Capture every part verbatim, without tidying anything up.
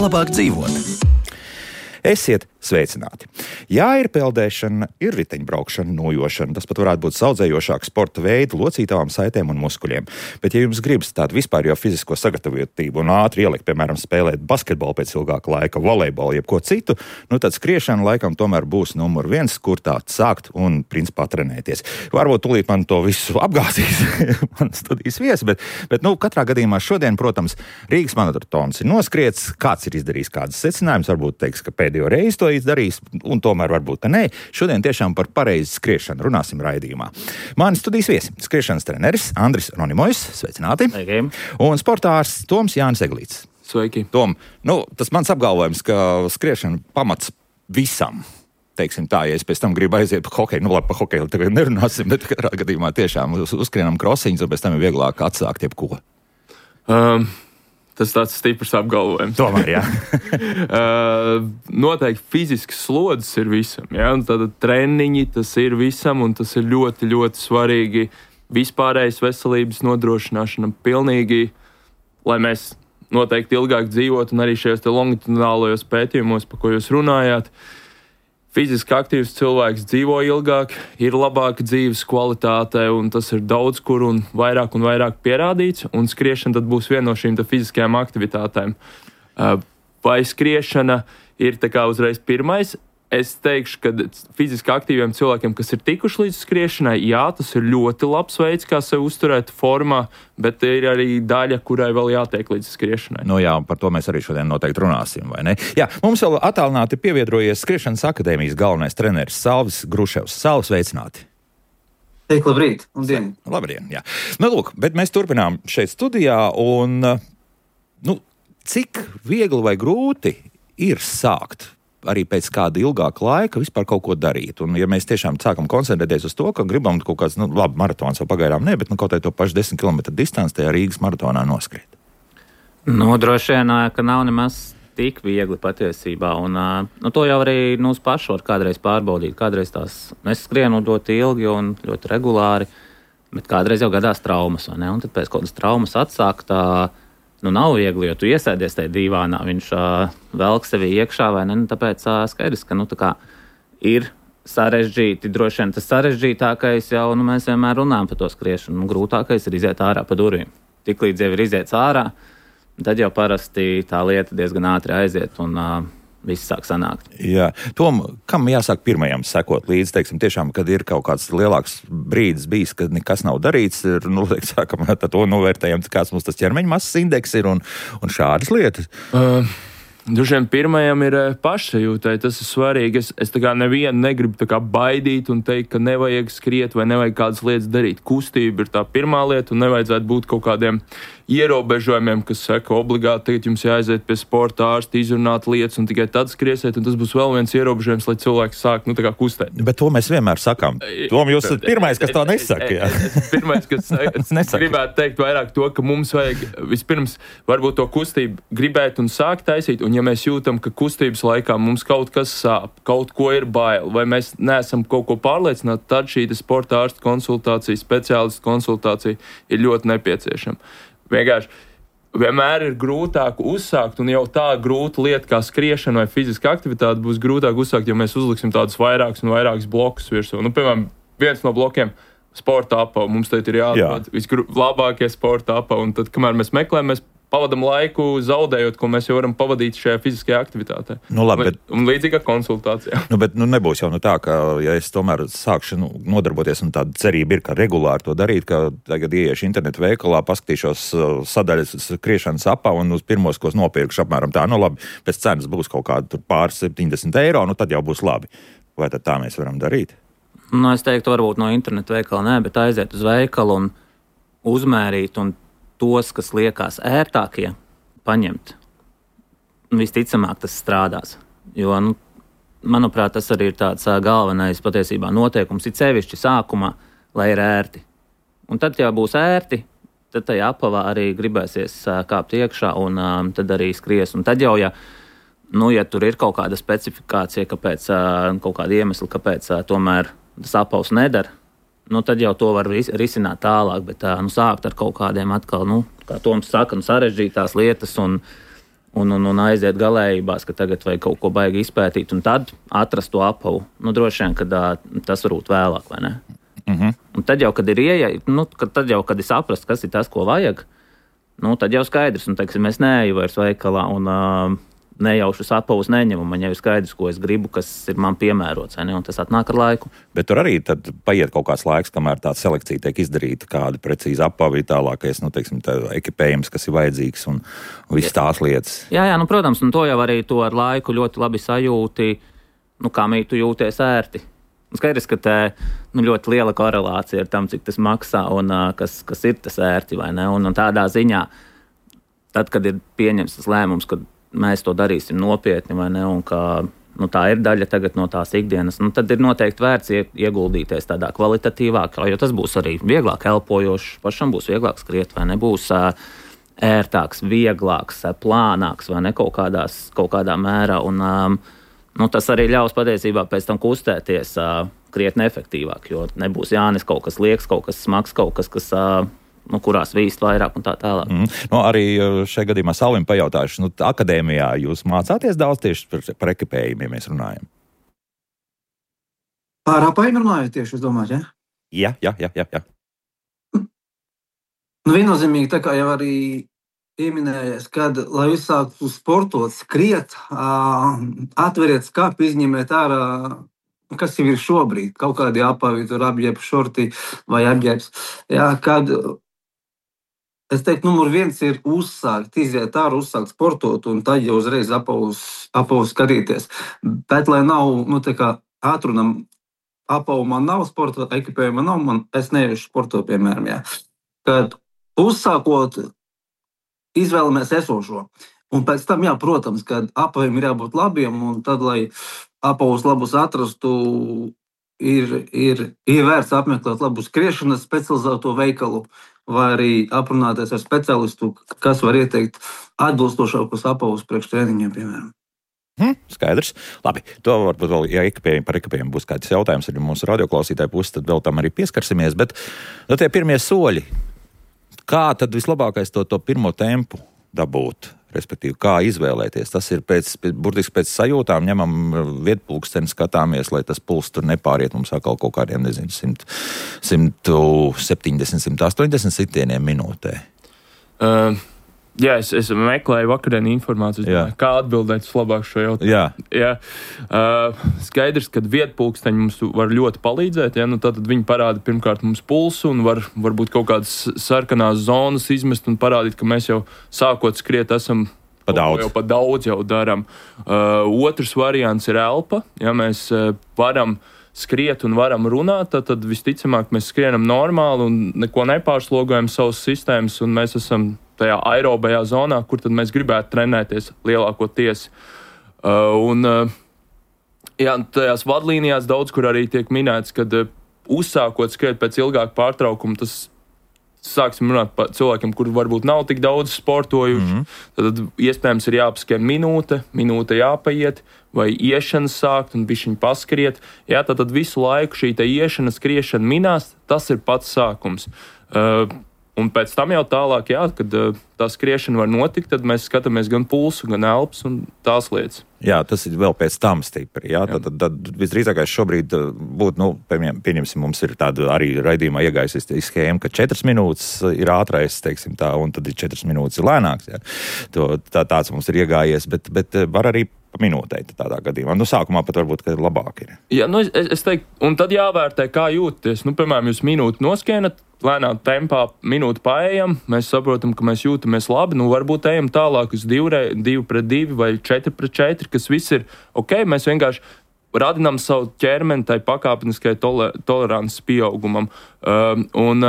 labāk dzīvot. Esiet sveicināti. Jā, ir peldēšana, ir riteņbraukšana, nojošana. Tas pat varētu būt saudzējošāk sporta veidu, locītavām saitēm un muskuļiem. Bet, ja jums gribas tādu vispār jau fizisko sagatavotību un ātri ielikt, piemēram, spēlēt basketbolu pēc ilgāka laika, volejbolu, jeb ko citu, nu tad skriešana laikam tomēr būs numur viens, kur tā sākt un, principā, trenēties. Varbūt tūlīt man to visu apgāzīs, man studijas viesi, bet, bet, nu, katrā gadījumā šodien, protams, Rīgas maratons ir noskriets, kāds ir izdarījis kādas secinājumus, varbūt teiks, ka pēdējo reizi to izdarījis, un tomēr varbūt, ka nē. Šodien tiešām par pareizi skriešanu runāsim raidījumā. Mani studijas viesi, skriešanas treneris Andris Ronimojs, sveicināti. Sveiki. Un sportārs Toms Jānis Eglīts. Sveiki. Tom, nu, tas mans apgalvojums, ka skriešana pamats visam. Teiksim tā, ja es pēc tam gribu aiziet pa hokeju, nu labi, pa hokeju tagad nerunāsim, bet katrā gadījumā tiešām uz, uzskrienam krosiņus, un pēc tam ir vieglāk atsākt jebko. Um. Tas tāds stiprs apgalvojums. Tomēr, jā. uh, noteikti fizisks slodzes ir visam. Ja? Tad treniņi tas ir visam, un tas ir ļoti, ļoti svarīgi vispārējas veselības nodrošināšana pilnīgi, lai mēs noteikti ilgāk dzīvotu, un arī šajos te longitudinālajos pētījumos, pa ko jūs runājāt. Fiziski aktīvs cilvēks dzīvo ilgāk, ir labāka dzīves kvalitāte, un tas ir daudz kur un vairāk un vairāk pierādīts, un skriešana tad būs viena no šīm fiziskajām aktivitātēm. Vai skriešana ir tā kā uzreiz pirmais? Es teikšu, ka fiziski aktīviem cilvēkiem, kas ir tikuši līdz skriešanai, jā, tas ir ļoti labs veids, kā sevi uzturēt formā, bet ir arī daļa, kurai vēl jātiek līdz skriešanai. Nu jā, par to mēs arī šodien noteikti runāsim, vai ne? Jā, mums vēl attālināti pievienojies Skriešanas akadēmijas galvenais treneris Salvis Gruševs. Salvis, sveicināti! Teik, labrīt! Labdien! Labdien, jā. Nu, lūk, bet mēs turpinām šeit studijā, un, nu, cik viegli vai grūti ir sākt arī pēc kāda ilgāka laika vispār kaut ko darīt. Un ja mēs tiešām sākam koncentrēties uz to, ka gribam kaut kāds, nu, labi, maratons vēl pagaidām ne, bet nu, kaut vai to pašu desmit kilometru distanci tajā Rīgas maratonā noskriet. Nu, droši vien, ka nav nemaz tik viegli patiesībā. Un nu, to jau arī nu, uz pašu var kādreiz pārbaudīt. Kādreiz tās es skrienu ļoti ilgi un ļoti regulāri, bet kādreiz jau gadās traumas, vai ne? Un tad pēc kādas traumas atsākt tā, nu, nav viegli, jo tu iesēdies tajā divānā, viņš uh, velk sevi iekšā, vai ne? Nu, tāpēc uh, skaidrs, ka nu, tā kā ir sarežģīti, droši vien tas sarežģītākais jau, nu, mēs vienmēr runājam par to skriešanu, nu, grūtākais ir iziet ārā pa durvīm. Tiklīdz jau ir iziets ārā, tad jau parasti tā lieta diezgan ātri aiziet un uh, viss sāk sanākt. Jā. Tom, kam jāsāk pirmajam sekot līdzi, teiksim, tiešām, kad ir kaut kāds lielāks brīdis bijis, kad nekas nav darīts, ir, nu, liek, sākam, tad to novērtējam, kāds mums tas ķermeņa masas indeks ir un, un šādas lietas. Uh. Droši vien pirmajam ir pašsajūtai, tas ir svarīgi. Es, es tā kā nevienu negribu tā kā baidīt un teikt, ka nevajag skriet vai nevajag kādas lietas darīt. Kustība ir tā pirmā lieta un nevajadzētu būt kaut kādiem ierobežojumiem, kas saka, obligāti tagad jums jāaiziet pie sporta ārsta, izrunāt lietas un tikai tad skriesiet, un tas būs vēl viens ierobežojums, lai cilvēks sāk, nu, tā kā kustēt. Bet to mēs vienmēr sakām. Tom, jūs esat pirmais, kas to nesaka, jā. Es, es, pirmais, kas es gribētu teikt vairāk to, ka mums vajag vispirms varbūt to kustību gribēt un sākt taisīt, un ja mēs jūtam, ka kustības laikā mums kaut kas sāp, kaut ko ir bail, vai mēs neesam kaut ko pārliecināti, tad šī sporta ārsta konsultācija, speciālista konsultācija ir ļoti nepieciešama. Vienkārši vienmēr ir grūtāk uzsākt, un jau tā grūta lieta kā skriešana vai fiziska aktivitāte būs grūtāk uzsākt, ja mēs uzliksim tādus vairākus un vairākus blokus virsū. Nu, piemēram, viens no blokiem sporta apava. Mums te ir jāatrod Jā. vislabākie sporta apava, un tad, kamēr mēs meklējam, mēs pavadam laiku zaudējot, ko mēs jau varam pavadīt šajā fiziskajā aktivitātē. Nu, labi, bet, un līdzīga konsultācija. Nu, bet nu, nebūs jau nu tā, ka ja es tomēr sākšu nu, nodarboties, un tāda cerība ir, ka regulāri to darīt, ka tagad ieiešu internetu veikalā, paskatīšos sadaļas skriešanas apā un uz pirmos, ko es nopirkšu apmēram tā. Nu labi, pēc cenas būs kaut kāda pāris septiņdesmit eiro, nu tad jau būs labi. Vai tad tā mēs varam darīt? Nu, es teiktu, varbūt no internetu veikala nē, bet aiziet uz veikalu un uzmērīt un tos, kas liekas ērtākie, paņemt. Visticamāk, tas strādās. Jo, nu, manuprāt, tas arī ir tāds galvenais patiesībā noteikums, ir sevišķi sākumā, lai ir ērti. Un tad, ja būs ērti, tad tajā apavā arī gribēsies kāpt iekšā un um, tad arī skries. Un tad jau, ja, nu, ja tur ir kaut kāda specifikācija, kāpēc, uh, kaut kāda iemesla, kāpēc uh, tomēr tas apavs nedara, nu, tad jau to var ris- risināt tālāk, bet nu, sākt ar kaut kādiem atkal, nu, kā Toms saka, nu, sarežģītās lietas un un, un, un aiziet galējībās, ka tagad vajag kaut ko baigi izpētīt, un tad atrast to apavu. Nu, droši vien, ka tas varbūt vēlāk, vai ne? Mm-hmm. Un tad jau, kad ir ieeja, nu, kad, tad jau, kad ir saprast, kas ir tas, ko vajag, nu, tad jau skaidrs, un, teiksim, es neeju vairs veikalā, un uh, nejaušus apavus neņemu, man jau ir skaidrs, ko es gribu, kas ir man piemērots, ne, un tas atnāk ar laiku. Bet tur arī tad paiet kaut kāds laiks, kamēr tā selekcija tiek izdarīta, kāda precīza apavi, tālākais, nu, teiksim, tā ekipējums, kas ir vajadzīgs un, un viss tās lietas. Jā, jā, nu, protams, un to jau arī to ar laiku ļoti labi sajūti, nu, kā mīt tu jūties ērti. Skaidrs, ka tā nu, ļoti liela korelācija ar tam, cik tas maksā un uh, kas, kas ir tas ērti, vai ne? Un, un tādā ziņā, tad, kad ir pieņems tas lēmums, kad mēs to darīsim nopietni, vai ne, un ka nu, tā ir daļa tagad no tās ikdienas, nu, tad ir noteikti vērts ieguldīties tādā kvalitatīvākā, jo tas būs arī vieglāk elpojošs, pašam būs vieglāk skriet, vai ne, būs uh, ērtāks, vieglāks, uh, plānāks, vai ne, kaut, kādās, kaut kādā mērā, un um, nu, tas arī ļaus patiesībā pēc tam kustēties uh, krietni efektīvāk, jo nebūs jānes kaut kas lieks, kaut kas smags, kaut kas, kas, uh, nu, kurās vīst vairāk un tā tālāk. Mm. Nu, arī šajā gadījumā Salvim pajautāšu, nu, akadēmijā jūs mācāties daudz tieši par, par ekipējumiem, ja mēs runājam? Par apajiem runājot tieši, es domāju, ja? Jā, jā, jā, jā. jā. Nu, viennozīmīgi, tā kā jau arī pieminējies, kad, lai uzsāktu sportot, skriet, uh, atveriet skapi, izņemiet ārā, kas jau ir šobrīd, kaut kādi apavi, tur apģērbs, šorti vai apģērbs. Jā, kad, es teiktu, numur viens ir uzsākt, iziet ārā, uzsākt sportot, un tad jau uzreiz apavus, apavus skatīties. Bet, lai nav, nu, tā kā atrunam, apavu man nav, sporta ekipējuma nav, man, es neiešu sportot, piemēram, jā. Kad uzsākot, izvēlamies esošo. Un pēc tam, jā, protams, kad apaviem ir jābūt labiem, un tad, lai apavus labus atrastu, ir, ir, ir vērts apmeklēt labu skriešanas specializēto veikalu, vai arī aprunāties ar speciālistu, kas var ieteikt atbilstošākus apavus priekš treniņiem, piemēram. Hmm, skaidrs. Labi, to varbūt vēl, ja ekipējumi par ekipējumu būs kāds jautājums arī mūsu radioklausītāju puses, tad vēl tam arī pieskarsimies, bet no tie pirmie soļi, kā tad vislabākais to, to pirmo tempu dabūt? Respektīvi, kā izvēlēties. Tas ir pēc, burtiski pēc sajūtām, ņemam vietpulksteni, skatāmies, lai tas puls tur nepāriet mums atkal kaut kādiem, nezinu, simt septiņdesmit, simt astoņdesmit sitieniem minūtē. Uh, jā, es, es meklēju vakardienu informāciju, domāju, kā atbildēt labāk šo jautājumu. Jā. Jā. Uh, skaidrs, ka vietpulksteņi mums var ļoti palīdzēt, ja? Nu, tad viņi parāda pirmkārt mums pulsu un var varbūt kaut kādas sarkanās zonas izmest un parādīt, ka mēs jau sākot skriet esam pa daudz. Jau pa daudz jau daram. Uh, otrs variants ir elpa, ja mēs uh, varam skriet un varam runāt, tad, tad visticamāk mēs skrienam normāli un neko nepārslogojam savas sistēmas un mēs esam tajā aerobajā zonā, kur tad mēs gribētu trenēties lielākoties. Uh, un uh, jā, tajās vadlīnijās daudz, kur arī tiek minēts, kad uh, uzsākot skriet pēc ilgāka pārtraukuma, tas sāksim runāt par cilvēkiem, kuri varbūt nav tik daudz sportojuši. Mm-hmm. Tad iespējams ir jāpaskrien minūte, minūte jāpaiet, vai iešanas sākt un bišķiņ paskriet. Jā, tad, tad visu laiku šī te iešana, skriešana minās, tas ir pats sākums. Uh, Un pēc tam jau tālāk, jā, kad uh, tā skriešana var notikt, tad mēs skatāmies gan pulsu, gan elpas un tās lietas. Jā, tas ir vēl pēc tam stipri. Jā? Jā. Tad, tad, tad visdrīzākais šobrīd būtu, nu, pieņemsim, mums ir tāda arī raidījumā iegājusies schēma, ka četras minūtes ir ātrais, teiksim tā, un tad ir četras minūtes ir lēnāks. Jā. To, tā, tāds mums ir iegājies, bet, bet var arī pa minūtei tādā gadījumā. Nu, sākumā pat varbūt, ka labāk ir. Jā, nu, es, es teiktu, un tad jāvērtē, kā jūties. Nu, piemēram, jūs minūti noskienat, lēnā tempā minūti paējam, mēs saprotam, ka mēs jūtamies labi, nu varbūt ejam tālāk uz divi, divi pret divi vai četri pret četri, kas viss ir ok, mēs vienkārši radinām savu ķermeni tai pakāpeniskai toler, tolerances pieaugumam. Um, un,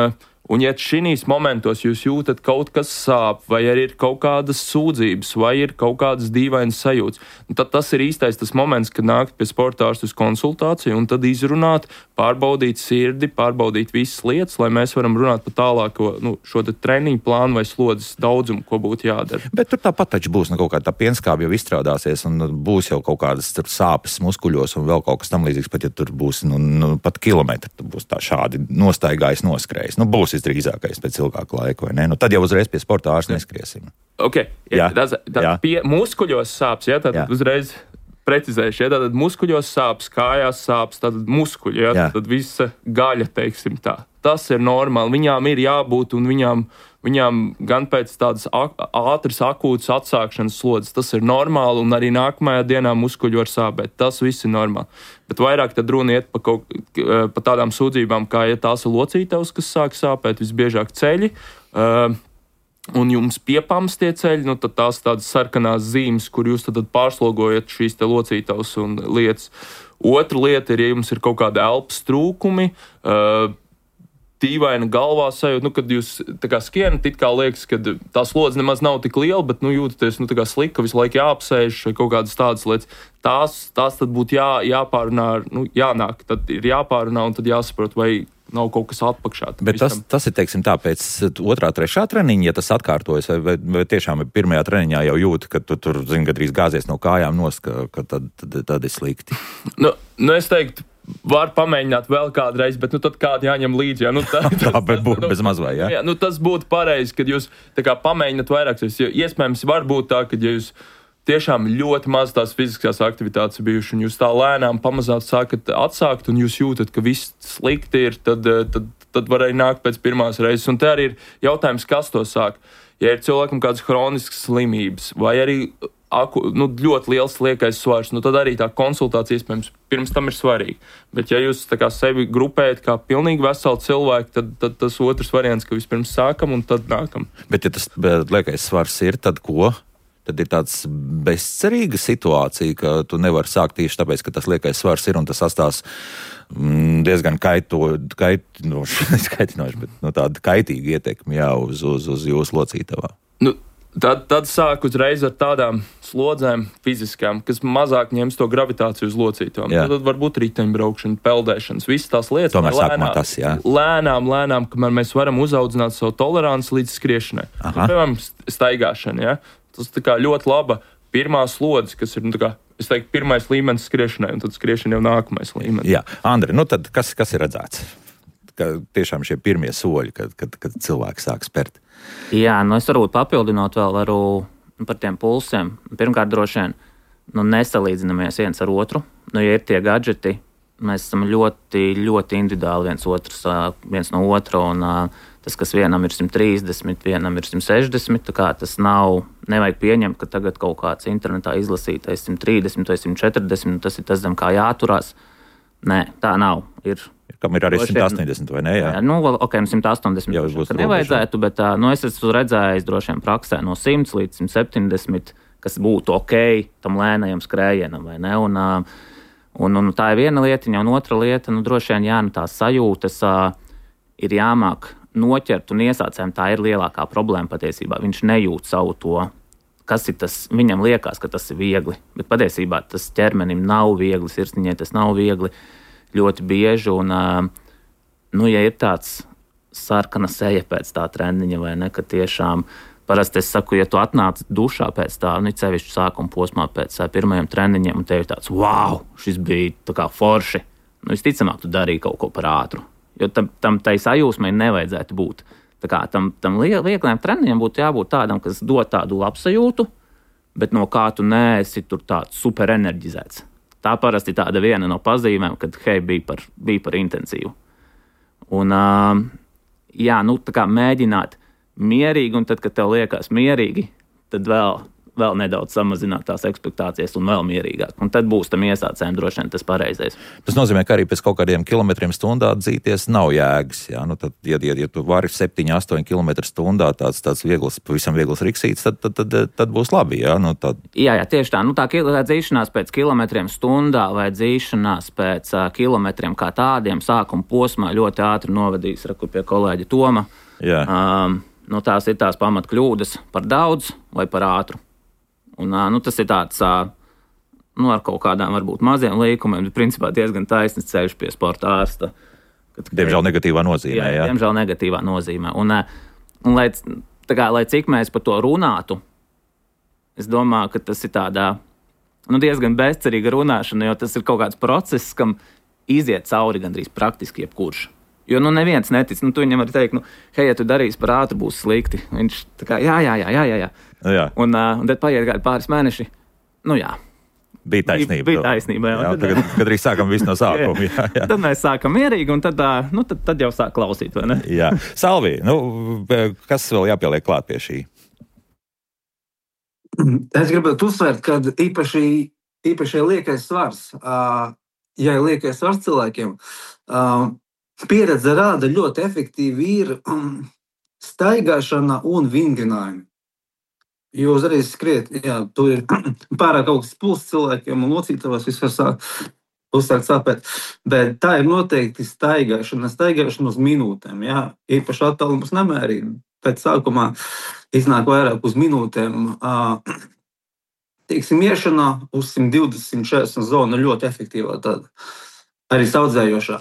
un ja šīs momentos jūs jūtat kaut kas sāp, vai arī ir kaut kādas sūdzības, vai ir kaut kādas dīvainas sajūtas, tad tas ir īstais tas moments, kad nākt pie sportārsta uz konsultāciju un tad izrunāt, pārbaudīt sirdi, pārbaudīt visas lietas, lai mēs varam runāt par tālāko nu, šo te treniņu plānu vai slodzes daudzumu, ko būtu jādara. Bet tur tāpat taču būs nu, kaut kāda tā pienskāba jau izstrādāsies un būs jau kaut kādas sāpes muskuļos un vēl kaut kas tam līdzīgs, pat ja tur būs nu, nu, pat kilometri, tur būs tā šādi nostaigājis, noskrējis. Nu, būs visdrīzākais pēc ilgāka laika, vai ne? Nu, tad jau uzreiz pie sporta ārsta neskriesim. Ok, jā, tā, tā pie muskuļos sāps, ja, tad jā. uzreiz precizējuši, ja, tad muskuļos sāps, kājās sāps, tad muskuļi, ja, tad visa gaļa, teiksim tā. Tas ir normāli, viņām ir jābūt un viņām, viņām gan pēc tādas ātras akūtas atsākšanas slodzes, tas ir normāli un arī nākamajā dienā muskuļi var sāpēt, tas viss ir normāli. Bet vairāk tad runa iet pa, kaut, pa tādām sūdzībām, kā ja tās ir locītavas, kas sāk sāpēt, visbiežāk ceļi, uh, un jums piepams tie ceļi, nu tad tās tādas sarkanās zīmes, kur jūs tad pārslogojat šīs te locītavas un lietas. Otra lieta ir, ja jums ir kaut kāda elpas trūkumi, uh, tīvaina galvā sajūta, nu, kad jūs tā kā skienat, it kā liekas, ka tā slodze nemaz nav tik liela, bet, nu, jūtaties, nu, tā kā slika, visu laiku jāapsēž vai kaut kādas tādas lietas. Tās, tās tad būtu jā, jāpārunā, nu, jānāk, tad ir jāpārunā un tad jāsaprot, vai nav kaut kas atpakšā. Bet tas, tas ir, teiksim, tā pēc otrā, trešā treniņa, ja tas atkārtojas, vai, vai, vai tiešām pirmajā treniņā jau jūt, ka tu tur, zini, gadrīz gāzies no kājām nost, ka, ka tad, tad, tad ir slikti. Nu, nu, es teiktu, var pamēģināt vēl kādreiz, bet nu, tad kādu jāņem līdzi. Jā, nu, tā, tā bet būtu nu, bez mazvai, jā? jā nu, tas būtu pareizi, kad jūs tā kā pamēģināt vairāk. Iespējams, var būt tā, ka ja jūs tiešām ļoti maz tās fiziskās aktivitātes bijuši, un jūs tā lēnām pamazāt sākat atsākt, un jūs jūtat, ka viss slikti ir, tad, tad, tad var arī nākt pēc pirmās reizes. Un te arī ir jautājums, kas to sāk. Ja ir cilvēkam kādas hroniskas slimības, vai arī aku, nu, ļoti liels liekais svars, nu, tad arī tā konsultācija iespējams pirms tam ir svarīga. Bet ja jūs tā kā sevi grupējat kā pilnīgi veselu cilvēku, tad, tad tas otrs variants, ka vispirms sākam un tad nākam. Bet ja tas liekais svars ir, tad ko? Tad ir tāds bezcerīga situācija, ka tu nevari sākt tieši tāpēc, ka tas liekais svars ir un tas atstās mm, diezgan kaito, kaitinoši, kaitinoši, bet nu, tāda kaitīga ietekme jā, uz, uz, uz jūsu locītavā. Nu, tad, tad sāk uzreiz ar tādām slodzēm fiziskām, kas mazāk ņems to gravitāciju uz locītavām. Tad, tad varbūt riteņbraukšana, peldēšanas, visas tās lietas. Tomēr sākumā tas, jā. Lēnām, lēnām, kamēr mēs varam uzaudzināt savu toleranci līdz skriešanai. Piemēram, staigāšana, jā. Tas tā kā ļoti laba pirmā slodze, kas ir, nu, tā kā, es teiktu, pirmais līmenis skriešanai, un tad skriešana jau nākamais līmenis. Jā, Andri, nu tad kas, kas ir redzēts? Ka tiešām šie pirmie soļi, kad, kad, kad cilvēki sāk spērt. Jā, nu es varbūt papildinot vēl varu par tiem pulsiem. Pirmkārt, droši vien, nu nesalīdzinamies viens ar otru. Nu, ja ir tie gadžeti, mēs esam ļoti, ļoti individuāli viens otrs, viens no otra, un tas, kas vienam ir simt trīsdesmit, vienam ir simt sešdesmit, tā kā tas nav, nevajag pieņemt, ka tagad kaut kāds internetā izlasītais simt trīsdesmit vai simt četrdesmit, tas ir tas, zem kā jāturās. Nē, tā nav. Ir, kam ir arī simt astoņdesmit vai ne? Jā, jā nu, ok, simt astoņdesmit jau būs nevajadzētu, bet nu, es esmu redzējis droši vien praksē no simts līdz simt septiņdesmit, kas būtu ok tam lēnajam skrējienam, vai ne? Un, un, un tā ir viena lietiņa, un otra lieta, nu, droši vien, jā, nu, tās sajūtas ir jāmāk noķert, un iesācējiem tā ir lielākā problēma patiesībā. Viņš nejūt savu to, kas ir tas, viņam liekas, ka tas ir viegli, bet patiesībā tas ķermenim nav viegli, sirsniņai tas nav viegli ļoti bieži, un, nu, ja ir tāds sarkana seja pēc tā treniņa, vai ne, ka tiešām, parasti es saku, ja tu atnāc dušā pēc tā, nu, sevišķi sākuma posmā pēc pirmajiem treniņiem, un tev ir tāds, wow, šis bija tā kā forši, nu, visticamāk, tu darīji kaut ko par ātru. Jo tam, tam tai sajūsmai nevajadzētu būt. Tā kā tam, tam viegliem treniņam būtu jābūt tādam, kas dod tādu labsajūtu, bet no kā tu neesi tur tāds superenerģizēts. Tā parasti tāda viena no pazīmēm, kad hei, bija par, bija par intensīvu. Un, uh, jā, nu, tā kā mēģināt mierīgi, un tad, kad tev liekas mierīgi, tad vēl, vēl nedaudz samazināt tās ekspektācijas un vēl mierīgāk. Un tad būs tam iesācējiem droši vien tas pareizais. Tas nozīmē, ka arī pēc kaut kādiem kilometriem stundā dzīties nav jēgas. Jā? Nu, tad, ja, ja, ja tu vari septiņi astoņi kilometri stundā tāds, tāds viegls, pavisam viegls riksīts, tad, tad, tad, tad būs labi. Jā, nu, tad... jā, jā, tieši tā. Nu, tā dzīšanās pēc kilometriem stundā vai dzīšanās pēc uh, kilometriem kā tādiem sākuma posmā ļoti ātri novadīs raku pie kolēģa Toma. Jā. Um, nu, tās ir tās pamatkļūdas par daudz vai par ātru. Un, nu, tas ir tāds, nu, ar kaut kādām varbūt maziem līkumiem, bet principā diezgan taisns ceļš pie sporta ārsta. Kad, diemžēl negatīvā nozīmē, jā. jā. Diemžēl negatīvā nozīmē. Un, un lai, tā kā, lai cik mēs par to runātu, es domāju, ka tas ir tādā, nu, diezgan bezcerīga runāšana, jo tas ir kaut kāds process, kam iziet cauri gandrīz praktiski jebkurš. Jo, nu, neviens netic. Nu, tu viņam var teikt, nu, hei, ja tu darīsi par ātru, būs slikti. Viņš tā kā, jā, jā, jā, jā, jā. jā. jā. Un, uh, un tad paiet kādi pāris mēneši. Nu, jā. Bija taisnība. Bija taisnība, jā. jā tagad, kad arī sākam visu no sākuma. Jā, jā. Tad mēs sākam mierīgi, un tad, uh, nu, tad, tad jau sāk klausīt, vai ne? Jā. Salvī, nu, kas vēl jāpieliek klāt pie šī? Es gribētu uzsvērt, ka īpaši, īpaši liekais svars, uh, ja ir liekais svars cilvēkiem, uh, pieredze rāda ļoti efektīvi ir um, staigāšana un vingrinājumi. Jo uzreiz skriet, jā, tur ir pārāk augsts pulss cilvēkiem un locītavās viss var sākt, uzsākt sāpēt. Bet tā ir noteikti staigāšana, staigāšana uz minūtēm, jā. Īpaši attālumus nemērīt. Pēc sākumā iznāk vairāk uz minūtēm. Uh, teiksim, iešana uz simt divdesmit, simt četrdesmit zonu ļoti efektīvā tāda, arī saudzējošā.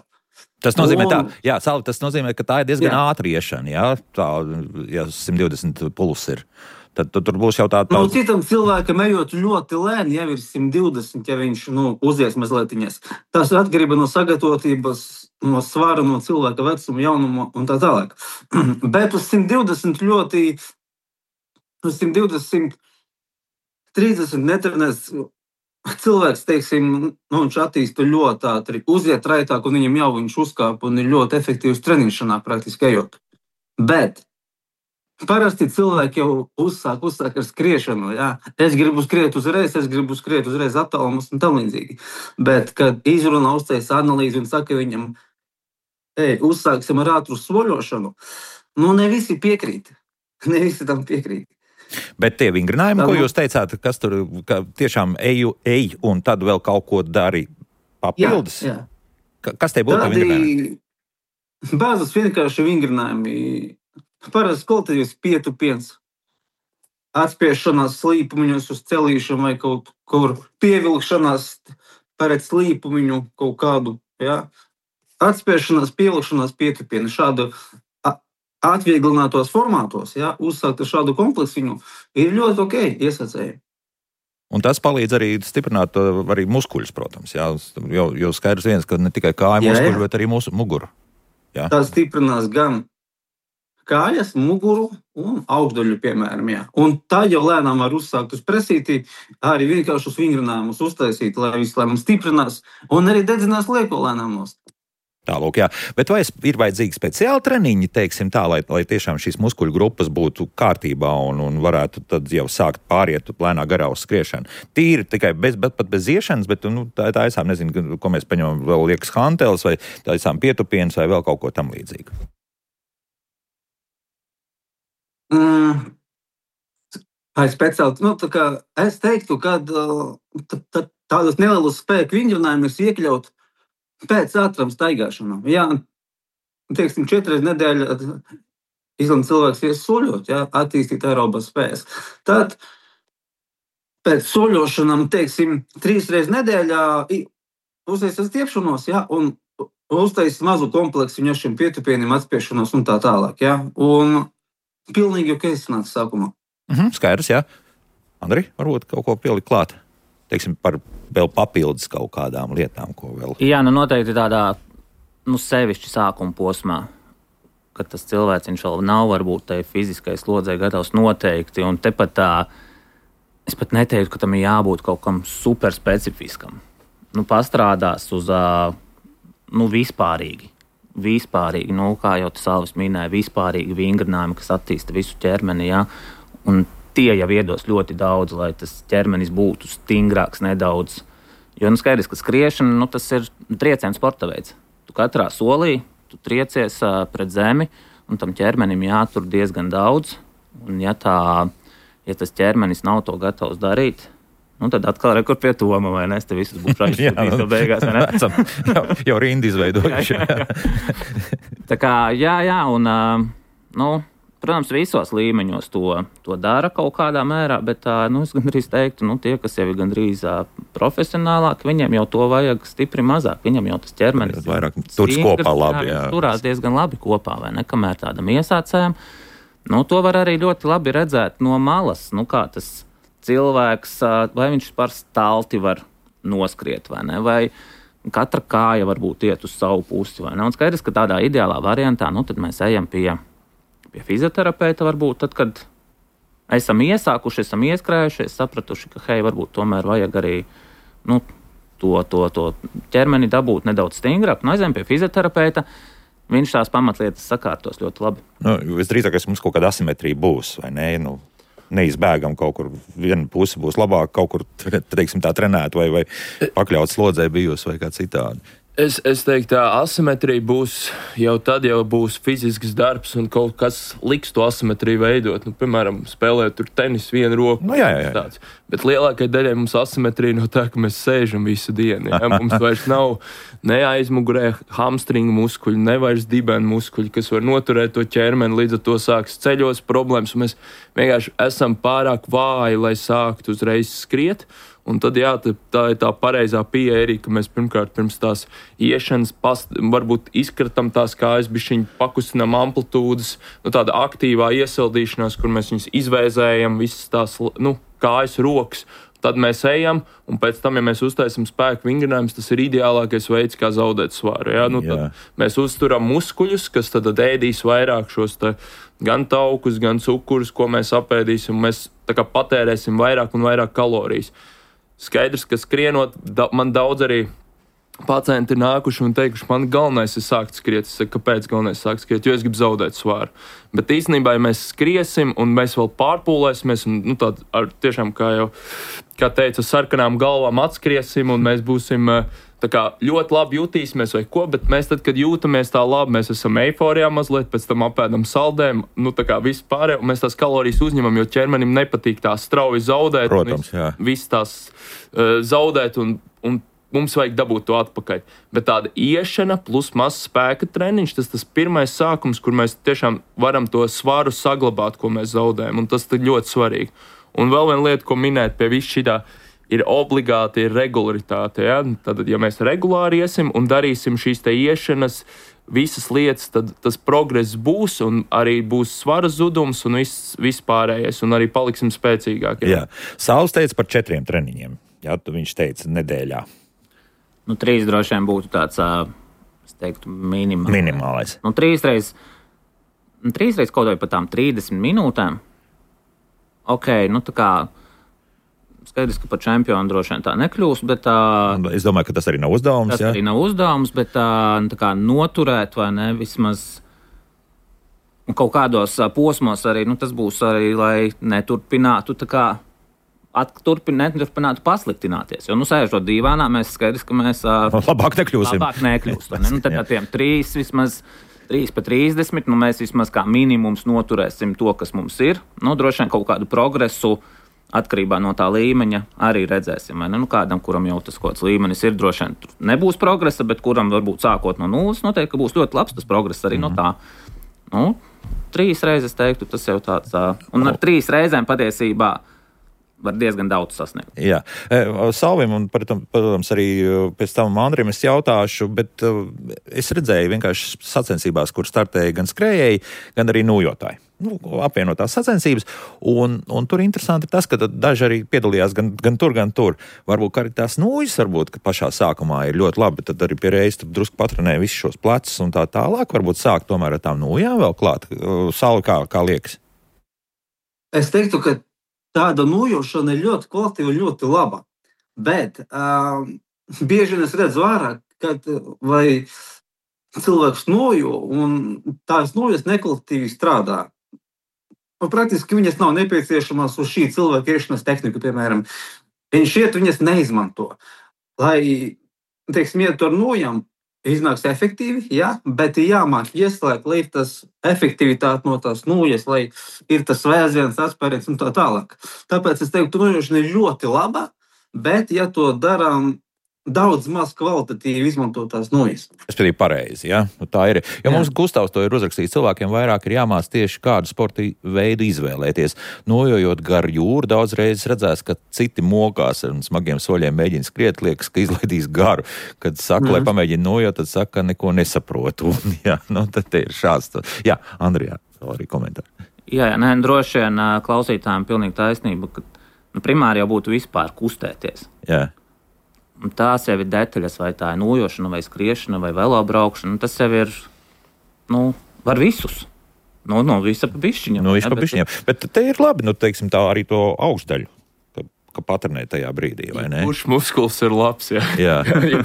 Tas nozīmē, un, tā, jā, Salvi, tas nozīmē, ka tā ir diezgan jā. ātra iešana, jā, tā, ja simt divdesmit puls ir. Tad, tad tur būs jau tā... tā... Nu, citam cilvēkam ejot ļoti lēni, jau ir simt divdesmit, ja viņš nu, uzies mazlietiņas. Tas atkarība no sagatavotības, no svara, no cilvēka vecuma, jaunuma un tā tālāk. Bet uz simt divdesmit ļoti, uz simt divdesmit, trīsdesmit netrenēs cilvēks, teiksim, nu, viņš attīsta ļoti ātri, uziet raitāk un viņam jau viņš uzkāp un ir ļoti efektīvs trenišanā praktiski ejot. Bet parasti cilvēki jau uzsāk, uzsāk ar skriešanu. Jā. Es gribu skriet uzreiz, es gribu skriet uzreiz attālumus un tam līdzīgi. Bet, kad izrunā uztais analīzi un saka viņam, ej, uzsāksim ar ātru soļošanu, nu ne visi piekrīt. Ne visi tam piekrīt. Bet tie vingrinājumi, ko jūs teicāt, kas tur ka tiešām eju, ej un tad vēl kaut ko dari papildus? Jā, jā. Kas tie būtu vingrinājumi? Bāzes vienkārši vingrinājumi. Parasti kvalitātīvs pietupiens, atspiešanās slīpumiņos uz celīšanu vai kaut kur pievilkšanās pret slīpumiņu kaut kādu, jā. Atspiešanās, pievilkšanās pietupienu, šādu atvieglinātos formātos, jā, uzsākt ar šādu kompleksiņu ir ļoti ok, iesacēji. Un tas palīdz arī stiprināt arī muskuļus, protams, jā, jo, jo skaidrs viens, ka ne tikai kāju muskuļi, bet arī mūsu muguru. Jā. Tas stiprinās gan kājas, muguru un augšdaļu, piemēram, jā. Un tā jau lēnām var uzsākt uz presītī, arī vienkārši uz vingrinājumus uztaisīt, lai viss lēnām stiprinās un arī dedzinās lieko lēnām nost. Tālūk, jā. Bet vai ir vajadzīgi speciāli treniņi, teiksim tā, lai, lai tiešām šīs muskuļu grupas būtu kārtībā un, un varētu tad jau sākt pāriet lēnā garā uz skriešanu? Tīri tikai bez, bet pat bez iešanas, bet nu, tā, tā esam, nezinu, ko mēs paņemam, vēl liekas hanteles vai tā esam pietupienas vai vēl kaut ko tam līdzīgu. Mm. Ai, speciāli, nu, tā kā es teiktu, ka tā, tādas nelielas spēku vingrinājumus iekļaut pēc ātram staigāšanām. Jā, teiksim, četras nedēļas izlem cilvēks ies soļot, jā, attīstīt aerobas spējas. Tad pēc soļošanām, teiksim, trīs reizes nedēļā uztaisīt stiepšanos, jā, un uztaisīt mazu kompleksu viņam pietupieniem atspiešanos un tā tālāk, jā. Un pilnīgi ok sanāca sākumā. Mhm, skaidrs, jā. Andri, varbūt kaut ko pielikt klāt? Teiksim, par vēl papildus kaut kādām lietām, ko vēl... Jā, nu noteikti tādā, nu, sevišķi sākuma posmā, kad tas cilvēks viņš vēl nav varbūt tai fiziskai slodzei gatavs noteikti, un tepat tā, es pat neteiktu, ka tam ir jābūt kaut kam super specifiskam. Nu, pastrādās uz, nu, vispārīgi. Vispārīgi, nu, kā jau tas Salvis minēja, vispārīgi vingrinājumi, kas attīsta visu ķermeni, jā, un tie jau iedos ļoti daudz, lai tas ķermenis būtu stingrāks nedaudz. Jo, nu, skaidrs, ka skriešana, nu, tas ir trieciens sporta veids. Tu katrā solī, tu triecies uh, pret zemi, un tam ķermenim jātur diezgan daudz, un ja tā, ja tas ķermenis nav to gatavs darīt, nu, tad atkal rekur pie Toma, vai ne? Es te visus būšu aizsūtījis no beigās, vai ne? Esam jau, jau rindi izveidojuši. jā, jā, jā. Tā kā, jā, jā, un, uh, nu, protams, visos līmeņos to, to dara kaut kādā mērā, bet uh, nu, es gandrīz teiktu, nu, tie, kas jau ir gandrīz uh, profesionālāki, viņiem jau to vajag stipri mazāk. Viņam jau tas ķermenis vairāk turas kopā labi, jā. Turās diezgan labi kopā, vai ne? Kamēr tādam iesācējam, nu, to var arī ļoti labi redzēt no malas, nu, kā tas cilvēks, vai viņš par stalti var noskriet, vai ne? Vai, katra kāja varbūt iet uz savu pusi. Vai ne? Un skaidrs, ka tādā ideālā variantā, nu, tad mēs ejam pie, pie fizioterapeita varbūt, tad, kad esam iesākuši, esam ieskrējušies, sapratuši, ka, hei, varbūt tomēr vajag arī, nu, to, to, to ķermeni dabūt nedaudz stingrāk, un aizējam pie fizioterapeita, viņš tās pamatlietas sakārtos ļoti labi. Nu, visdrīzākais mums kaut kāda asimetrija būs, vai ne? Nu, neizbēgam kaut kur, viena puse būs labāk, kaut kur, teiksim, tā trenēt vai, vai pakļaut slodzē bijusi vai kā citādi. Es, es teiktu, tā asimetrija būs jau tad, jau būs fizisks darbs un kaut kas liks to asimetriju veidot. Nu, piemēram, spēlēt tur tenis vienu roku. Nu, jā, jā, jā. Tāds. Bet lielākai daļai mums asimetrija no tā, ka mēs sēžam visu dienu. Ja? Mums vairs nav ne aizmugurē hamstringu muskuļi, ne vairs dibenu muskuļi, kas var noturēt to ķermeni, līdz ar to sāks ceļos problēmas. Mēs vienkārši esam pārāk vāji, lai sāktu uzreiz skriet. Un tad, jā, tā ir tā pareizā pieeja arī, ka mēs pirmkārt pirms tās iešanas past, varbūt izkratam tās kājas, bišķiņ pakustinām amplitūdas, nu, tāda aktīvā iesildīšanās, kur mēs viņus izvēzējam, visas tās, nu, kājas, rokas. Tad mēs ejam, un pēc tam, ja mēs uztaisam spēku vingrinājumus, tas ir ideālākais veids, kā zaudēt svaru. Ja? Nu, tad mēs uzturam muskuļus, kas tad ēdīs vairāk šos te, gan taukus, gan cukurus, ko mēs apēdīsim, un mēs tā kā patērēsim vairāk un vairāk kalorijas. Skaidrs, ka skrienot, da, man daudz arī pacienti ir nākuši un teikuši, man galvenais ir sākt skriet. Es saku, kāpēc galvenais sākt skriet? Jo es gribu zaudēt svāru. Bet īstenībā, ja mēs skriesim un mēs vēl pārpūlēsimies, un nu, tā, ar, tiešām, kā jau kā teica, sarkanām galvām atskriesim un mēs būsim tā kā ļoti labi jutīsimies vai ko, bet mēs tad, kad jūtamies tā labi, mēs esam eiforijā mazliet, pēc tam apēdam saldēm, nu tā kā viss pārējā, un mēs tās kalorijas uzņemam, jo ķermenim nepatīk tā strauji zaudēt. Protams, jā. Viss tās uh, zaudēt un, un mums vajag dabūt to atpakaļ. Bet tāda iešana plus mazs spēka treniņš, tas tas pirmais sākums, kur mēs tiešām varam to svaru saglabāt, ko mēs zaudējam, un tas ir ļoti svarīgi. Un vēl viena lieta, ko minēt pie viss šitā, ir obligāti ir regularitāte. Ja? Tad, ja mēs regulāri iesim un darīsim šīs te iešanas, visas lietas, tad tas progress būs un arī būs svara zudums un viss, viss pārējais, un arī paliksim spēcīgāki. Jā. Sauls teica par četriem treniņiem. Jā, tu viņš teica nedēļā. Nu, trīs droši vien būtu tāds, es teiktu, minimālais. Minimālais. Nu, trīs reiz, nu, trīs reiz kaut vai par tām trīsdesmit minūtēm. Ok, nu tā kā skaidrs, ka par čempionu droši vien tā nekļūs, bet tā... Es domāju, ka tas arī nav uzdevums, tas jā? arī nav uzdevums, bet tā, tā kā noturēt vai ne, vismaz un kaut kādos posmos arī, nu tas būs arī, lai neturpinātu tā kā at, turpin, neturpinātu pasliktināties. Jo, nu, sēžot dīvānā, mēs skaidrs, ka mēs... Labāk nekļūsim. Labāk nekļūst, ne? Nu, tad ar tiem trīs vismaz... trīs pa trīsdesmit, nu mēs vismaz kā minimums noturēsim to, kas mums ir. Nu, droši vien kaut kādu progresu atkarībā no tā līmeņa arī redzēsim. Vai ne? Nu, kādam, kuram jau tas kaut kāds līmenis ir, droši vien nebūs progresa, bet kuram varbūt sākot no nulles, noteikti, ka būs ļoti labs tas progress arī mm. no tā. Nu, trīs reizes teiktu, tas jau tāds, un ar trīs reizēm patiesībā var diezgan daudz sasniegt. Jā. Salvim un, protams, arī pēc tam Andrim es jautāšu, bet es redzēju vienkārši sacensībās, kur startēja gan skrējēji, gan arī nūjotāji. Nu, apvienotās sacensības, un, un tur interesanti ir tas, ka daži arī piedalījās gan, gan tur, gan tur. Varbūt arī tās nūjas, varbūt, ka pašā sākumā ir ļoti labi, bet tad arī pie reizes drusku patrenē visus šos plecus un tā tālāk. Varbūt sākt tomēr ar tām nūjām vēl klāt. Salvi, kā, kā liekas? Es teiktu, ka tāda nojošana ir ļoti kvalitīva, ļoti laba. Bet uh, bieži es redzu vairāk, kad vai cilvēks nojo, un tās nojas nekvalitīvi strādā. Un praktiski viņas nav nepieciešamās uz šī cilvēka iešanas tehniku, piemēram. Viņš iet, viņas neizmanto. Lai, teiksim, iet ar nojām, iznāks efektīvi, jā, bet jāmāk ieslēgt, lai ir tas efektivitāte no tās nūjas, lai ir tas vēziens, atspēriens un tā tālāk. Tāpēc es teiktu, nojošana ir ļoti laba, bet ja to darām daudz maz kvalitatīvi izmantotās nūjas. Tas ir pareizi, jā? Nu, tā ir. Jo jā. Mums Gustavs to ir uzrakstījis, cilvēkiem vairāk ir jāmāc tieši kādu sporta veidu izvēlēties. Nojojot gar jūru, daudz reizes redzēs, ka citi mokās ar smagiem soļiem mēģina skriet, liekas, ka izlaidīs garu. Kad saka, mm. lai pamēģina nojot, tad saka, ka neko nesaprotu. Jā, nu, tad ir šāds. Jā, Andrijā, vēl arī komentāri. Jā, jā, nē, droši vien klausītājiem pilnīgi taisnība, ka nu, primāri jau būtu vispār kustēties. Jā. tās jau ir detaļas, vai tā ir nojošana, vai skriešana, vai velobraukšana. Tas jau ir, nu, var visus. Nu, no visa pa bišķiņam. No visa pa bišķiņam. Bet te ir labi, nu, teiksim, tā arī to augšdaļu, ka, ka paternē tajā brīdī, vai ne? Kurš muskulis ir labs, jā. Jā.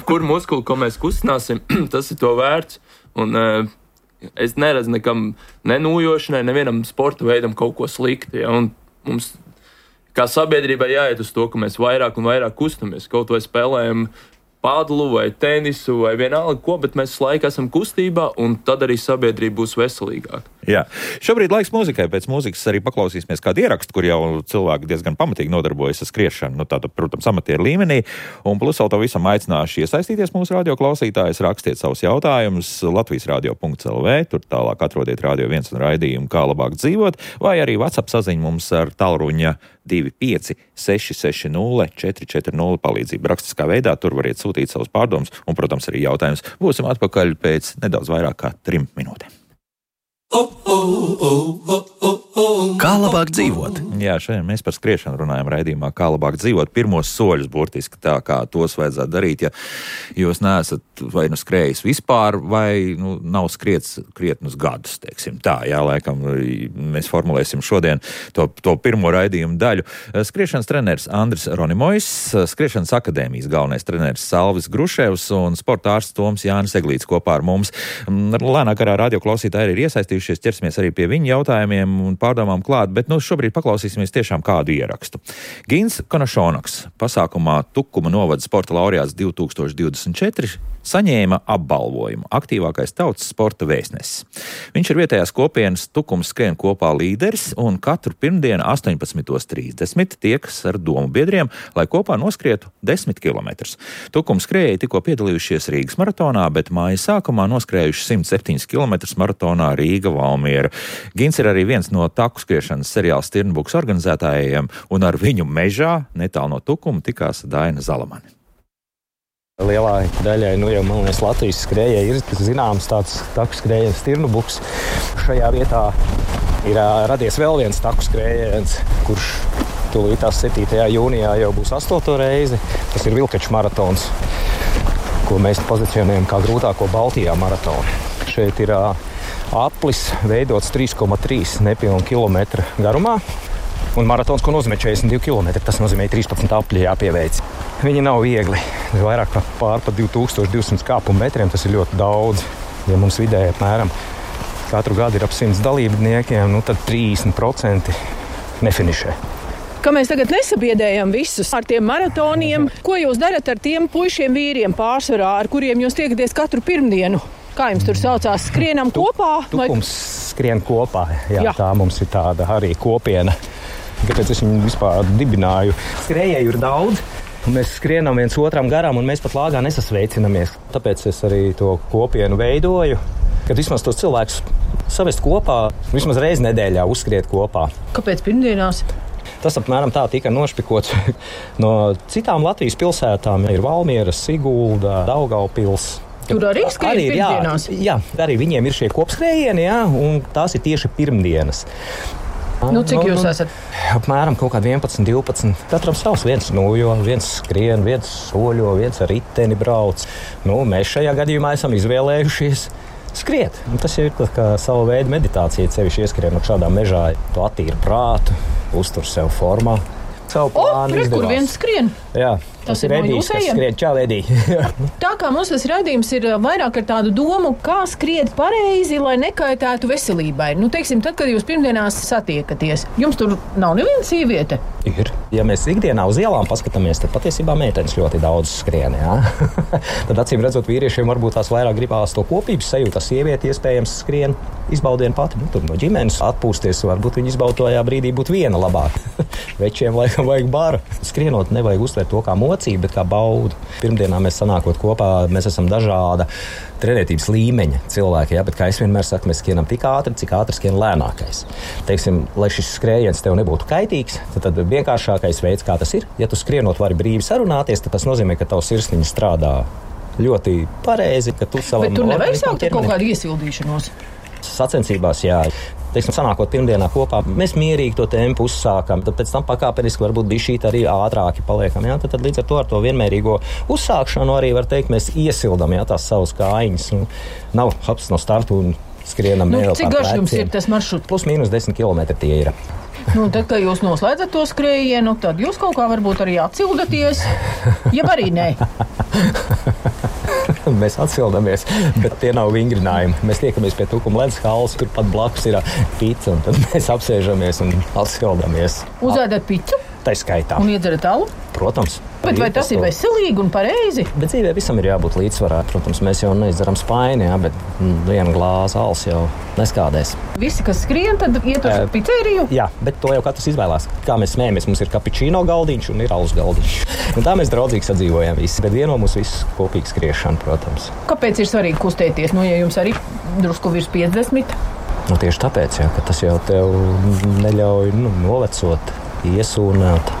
Kur muskuli, ko mēs kustināsim, tas ir to vērts. Un uh, es neredzu nekam nenūjošanai, nevienam sporta veidam kaut ko slikti, ja? Un mums kā sabiedrībai jāiet uz to, ka mēs vairāk un vairāk kustamies. Kaut vai spēlējam padlu vai tenisu vai vienalga ko, bet mēs laiku esam kustībā un tad arī sabiedrība būs veselīgāka. Jā. Šobrīd laiks mūzikai. Pēc mūzikas arī paklausīsimies kādu ierakstu, kur jau cilvēki diezgan pamatīgi nodarbojas ar skriešanu, nu tāda, protams, amatieru līmenī. Un plus vēl to visam aicināšu iesaistīties mūsu radio klausītājus, rakstiet savus jautājumus latvijas radio punkts el vē, tur tālāk atrodiet Radio viens un raidījumu Kā labāk dzīvot, vai arī WhatsApp saziņu mums ar tālruņa divi pieci seši seši nulle četri četri nulle palīdzību rakstiskā veidā, tur variet sūtīt savus pārdomus un, protams, arī jautājumus. Būsim atpakaļ pēc nedaudz vairāk kā trim minūtēm. Kā labāk dzīvot? Jā, šodien mēs par skriešanu runājam raidījumā Kā labāk dzīvot. Pirmos soļus burtiski tā, kā tos vajadzētu darīt, ja jūs neesat vai nu skrējis vispār, vai nu, nav skriets krietnus gadus, teiksim tā. Jā, laikam mēs formulēsim šodien to, to pirmo raidījumu daļu. Skriešanas treneris Andris Ronimojs, Skriešanas akadēmijas galvenais treneris Salvis Gruševs un sporta ārsts Toms Jānis Eglīts kopā ar mums. Lēnā garā radio klausītāji ir iesaistījušies, ķersimies arī pie viņu jautājumiem un pārdomām klāt, bet nu šobrīd paklausīsimies tiešām kādu ierakstu. Gins Konašonaks pasākumā Tukuma novada sporta laureāts divi tūkstoši divdesmit četri saņēma apbalvojumu aktīvākais tautas sporta vēstnesis. Viņš ir vietējās kopienas Tukums skrien kopā līderis un katru pirmdienu astoņpadsmit trīsdesmit tiekas ar domu biedriem, lai kopā noskrietu desmit kilometrus. Tukums skrējēji tikko piedalījušies Rīgas maratonā, bet māja sākumā noskrējuši simt septiņus kilometrus maratonā Rīga Valmiera. Gins ir arī viens no taku skriešanas seriāla Stirnbuks organizētājiem, un ar viņu mežā netālu no Tukuma tikās Daina Zalamani. Lielā daļai, nu jau, man liekas, Latvijas skrējēji ir zināms tāds taku skrējiens Stirnbuks. Šajā vietā ir uh, radies vēl viens taku skrējiens, kurš tūlītās septītajā jūnijā jau būs astoto reizi. Tas ir Vilkaču maratons, ko mēs pozicionējam kā grūtāko Baltijā maratonu. Šeit ir uh, aplis veidots trīs komats trīs nepilnu kilometru garumā. Un maratons, ko nozīmē četrdesmit divi kilometri, tas nozīmē trīspadsmit apļi jāpieveic. Viņi nav viegli. Vairāk par pār pa divi tūkstoši divsimt kāpumu metriem, tas ir ļoti daudz. Ja mums vidēji apmēram katru gadu ir ap simts dalībniekiem, nu tad trīsdesmit procenti nefinišē. Ka mēs tagad nesabiedējam visus ar tiem maratoniem. Ko jūs darat ar tiem puišiem vīriem pārsvarā, ar kuriem jūs tiekaties katru pirmdienu? Kā jums tur saucās? Skrienam kopā? Tukums skrien kopā. Jā, Jā. Tā mums ir tāda arī kopiena. Kāpēc es viņu vispār dibināju? Skrējēju ir daudz, un mēs skrienam viens otram garām, un mēs pat lāgā nesasveicinamies. Tāpēc es arī to kopienu veidoju, kad vismaz tos cilvēkus savest kopā, vismaz reizi nedēļā uzskriet kopā. Kāpēc pirmdienās? Tas apmēram tā tika nošpikots no citām Latvijas pilsētām. Ir Valmiera, Sigulda, Daugavpils. Tur arī skrien pirmdienās? Jā, jā, arī viņiem ir šie kopskrējieni, jā, un tās ir tieši pirmdienas. Nu, cik jūs esat? Apmēram kaut kādi vienpadsmit, divpadsmit. Katram savs, viens nojo, viens skrien, viens soļo, viens ar riteni brauc. Nu, mēs šajā gadījumā esam izvēlējušies skriet. Un tas ir kā sava veida meditācija, sevišķi ieskrienot šādā mežā. Tu attīri prātu, uztur sev formā. Savu plānu izdevās. O, kur viens skrien? Jā. Tas, tas ir Edijs, kas skrien. Čau, Edī. Tā kā mums tas raidījums ir vairāk ar tādu domu, kā skriet pareizi, lai nekaitētu veselībai. Nu, teiksim, tad, kad jūs pirmdienās satiekaties, jums tur nav neviena sieviete? Ir. Ja mēs ikdienā uz ielām paskatāmies, tad patiesībā meitenes ļoti daudz skrien, jā. Tad acīm redzot, vīriešiem varbūt tās vairāk gribās to kopības sajūta. Sieviete iespējams skrien izbaudienu pati. Nu, tur no ģimenes atpūsties, varbūt viņi izbaudotajā brīdī būtu viena labāk. Večiem laikam vajag baru. Skrienot nevajag uztvert to kā mocību, bet kā baudu. Pirmdienā mēs sanākot kopā, mēs esam dažāda trenētības līmeņa cilvēki, ja? Bet kā es vienmēr saku, mēs skrienam tik ātri, cik ātri skrien lēnākais. Teiksim, lai šis skrējiens tev nebūtu kaitīgs, tad, tad vienkāršākais veids, kā tas ir, ja tu skrienot vari brīvi sarunāties, tad tas nozīmē, ka tavs sirsniņa strādā ļoti pareizi, ka tu savam... Bet tur nevajag sākt ar kaut kādu iesildīšanos? sacensībās, jā. Teiksim, sanākot pirmdienā kopā, mēs mierīgi to tempu uzsākam, tad pēc tam pakāpeniski varbūt bišķīt arī ātrāki paliekam, jā. Tad, tad līdz ar to ar to vienmērīgo uzsākšanu arī var teikt, mēs iesildam, jā, tās savas kājiņas. Un nav hops no startu un skrienam. Nu, cik garš jums ir tas maršruts? Plus mīnus desmit kilometri tie ir. Nu, tad, kad jūs noslēdzat to skrējienu, tad jūs kaut kā varbūt arī atsildaties, ja arī nē. Mēs atsildamies, bet tie nav vingrinājumi. Mēs tiekamies pie Tukuma ledus halas, tur pat blakus ir pica, un tad mēs apsēžamies un atsildamies. Uzēdat picu? Tā skaitā. Un iedzerat alu? Protams. Bet vai tas ir veselīgi un pareizi? Bet dzīvē visam ir jābūt līdzsvarā. Protams, mēs jau neizdaram spaini, jā, bet viena glāza alas jau neskādēs. Visi, kas skrien, tad iet uz uh, pizzeriju? Jā, bet to jau katrs izvēlās. Kā mēs smējamies, mums ir kapučīno galdiņš un ir alus galdiņš. Un tā mēs draudzīgi sadzīvojam visi, bet vieno mums visus kopīgi skriešana, protams. Kāpēc ir svarīgi kustēties? Nu, ja jums arī drusku virs piecdesmit? Nu, tieši tāpēc, jā, ka tas jau tev neļauj nu, novecot, iesūnāt.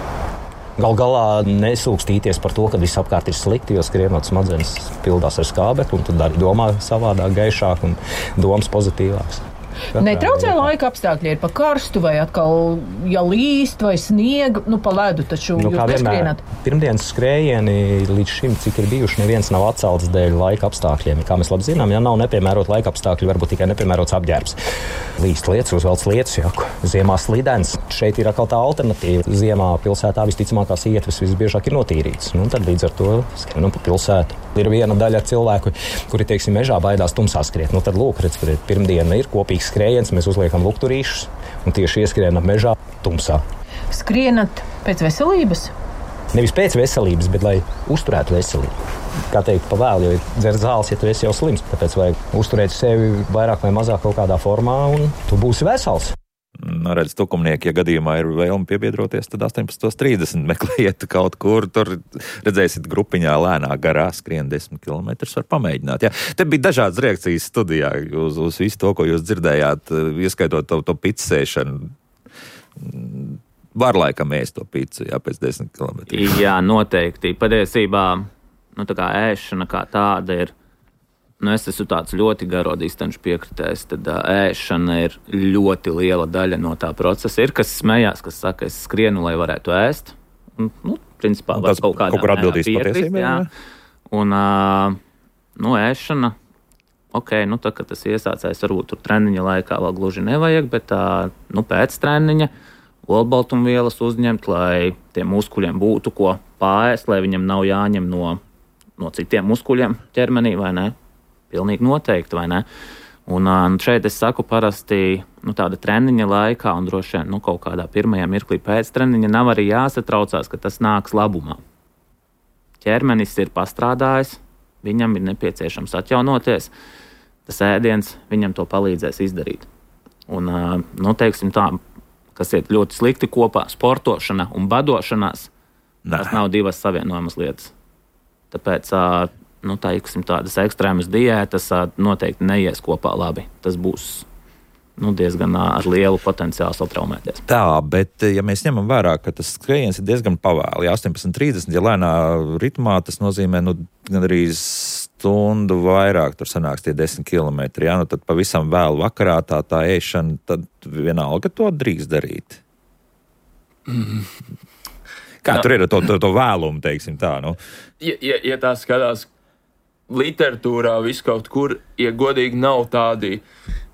Gal galā nesūkstīties par to, ka viss apkārt ir slikti, jo skrienot smadzenes pildās ar skābekli, un tad arī domā savādāk, gaišāk un domas pozitīvāks. Netraucē laika apstākļi, ir pa karstu vai atkal, ja līst vai sniega, nu pa ledu, taču nu, jūs neskrienat. Pirmdienas skrējieni līdz šim, cik ir bijuši, neviens nav atcelts dēļ laika apstākļiem. Kā mēs labi zinām, ja nav nepiemērot laika apstākļi, varbūt tikai nepiemērots apģērbs. Līst lietas, uzvelc lietas, jaku. Ziemā slidens. Šeit ir atkal tā alternatīva. Ziemā pilsētā visticamākās ietves visbiežāk ir notīrītas. Nu, tad līdz ar to skrienam pa pilsētu. Ir viena daļa cilvēku, kuri, teiksim, mežā baidās tumsā skriet. Nu, tad lūk, redz, kur ir pirmdiena ir kopīgs skrējiens, mēs uzliekam lukturīšus un tieši ieskrienam mežā tumsā. Skrienat pēc veselības? Nevis pēc veselības, bet lai uzturētu veselību. Kā teikt, pa vēlu, jo ir dzer zāles, ja tu esi jau slims. Tāpēc vajag uzturēt sevi vairāk vai mazāk kaut kādā formā un tu būsi vesels. Nu, redz, tukumnieki, ja gadījumā ir vēlme piebiedroties, tad astoņpadsmit trīsdesmit meklējiet kaut kur, tur redzēsiet grupiņā lēnā garā skrien desmit kilometrus, var pamēģināt. Jā. Te bija dažādas reakcijas studijā uz, uz visu to, ko jūs dzirdējāt, ieskaitot to, to pitsēšanu. Var laikam ēst to picu, jā, pēc desmit kilometriem. Jā, noteikti. Patiesībā, nu tā kā ēšana kā tāda ir, nu, es esmu tāds ļoti garo distanču piekritējs, tad uh, ēšana ir ļoti liela daļa no tā procesa. Ir, kas smējās, kas saka, es skrienu, lai varētu ēst. Un, nu, principā, var kaut kādā kur atbildīs patiesībā. Jā. Un, uh, nu, ēšana, ok, nu, tā, kad tas iesācējs, varbūt tur treniņa laikā vēl gluži nevajag, bet uh, nu, pēc treniņa olbaltumvielas uzņemt, lai tiem muskuļiem būtu ko pārēst, lai viņam nav jāņem no, no citiem muskuļiem ķermenī, vai ne? Pilnīgi noteikti, vai ne? Un uh, šeit es saku parasti nu, tāda treniņa laikā un droši vien nu, kaut kādā pirmajā mirklī pēc treniņa nav arī jāsatraucās, ka tas nāks labumā. Ķermenis ir pastrādājis, viņam ir nepieciešams atjaunoties, tas ēdiens viņam to palīdzēs izdarīt. Un, uh, nu, teiksim tā, kas iet ļoti slikti kopā, sportošana un badošanās, Nā. Tas nav divas savienojamas lietas. Tāpēc uh, nu, tā, iksim, tādas ekstrēmas diētas noteikti neies kopā labi. Tas būs nu, diezgan ar lielu potenciālu satraumēties. Tā, bet ja mēs ņemam vērā, ka tas skrējiens ir diezgan pavēli, astoņpadsmit trīsdesmit, ja lēnā ritmā, tas nozīmē nu, gan arī stundu vairāk, tur sanāks tie desmit kilometri, ja? Nu, tad pavisam vēl vakarā tā, tā ēšana, tad vienalga to drīkst darīt. Mm. Kā no. Tur ir to, to, to vēlumu, teiksim tā, nu? Ja, ja, ja tā skatās literatūrā, viss kaut kur, ja godīgi nav tādi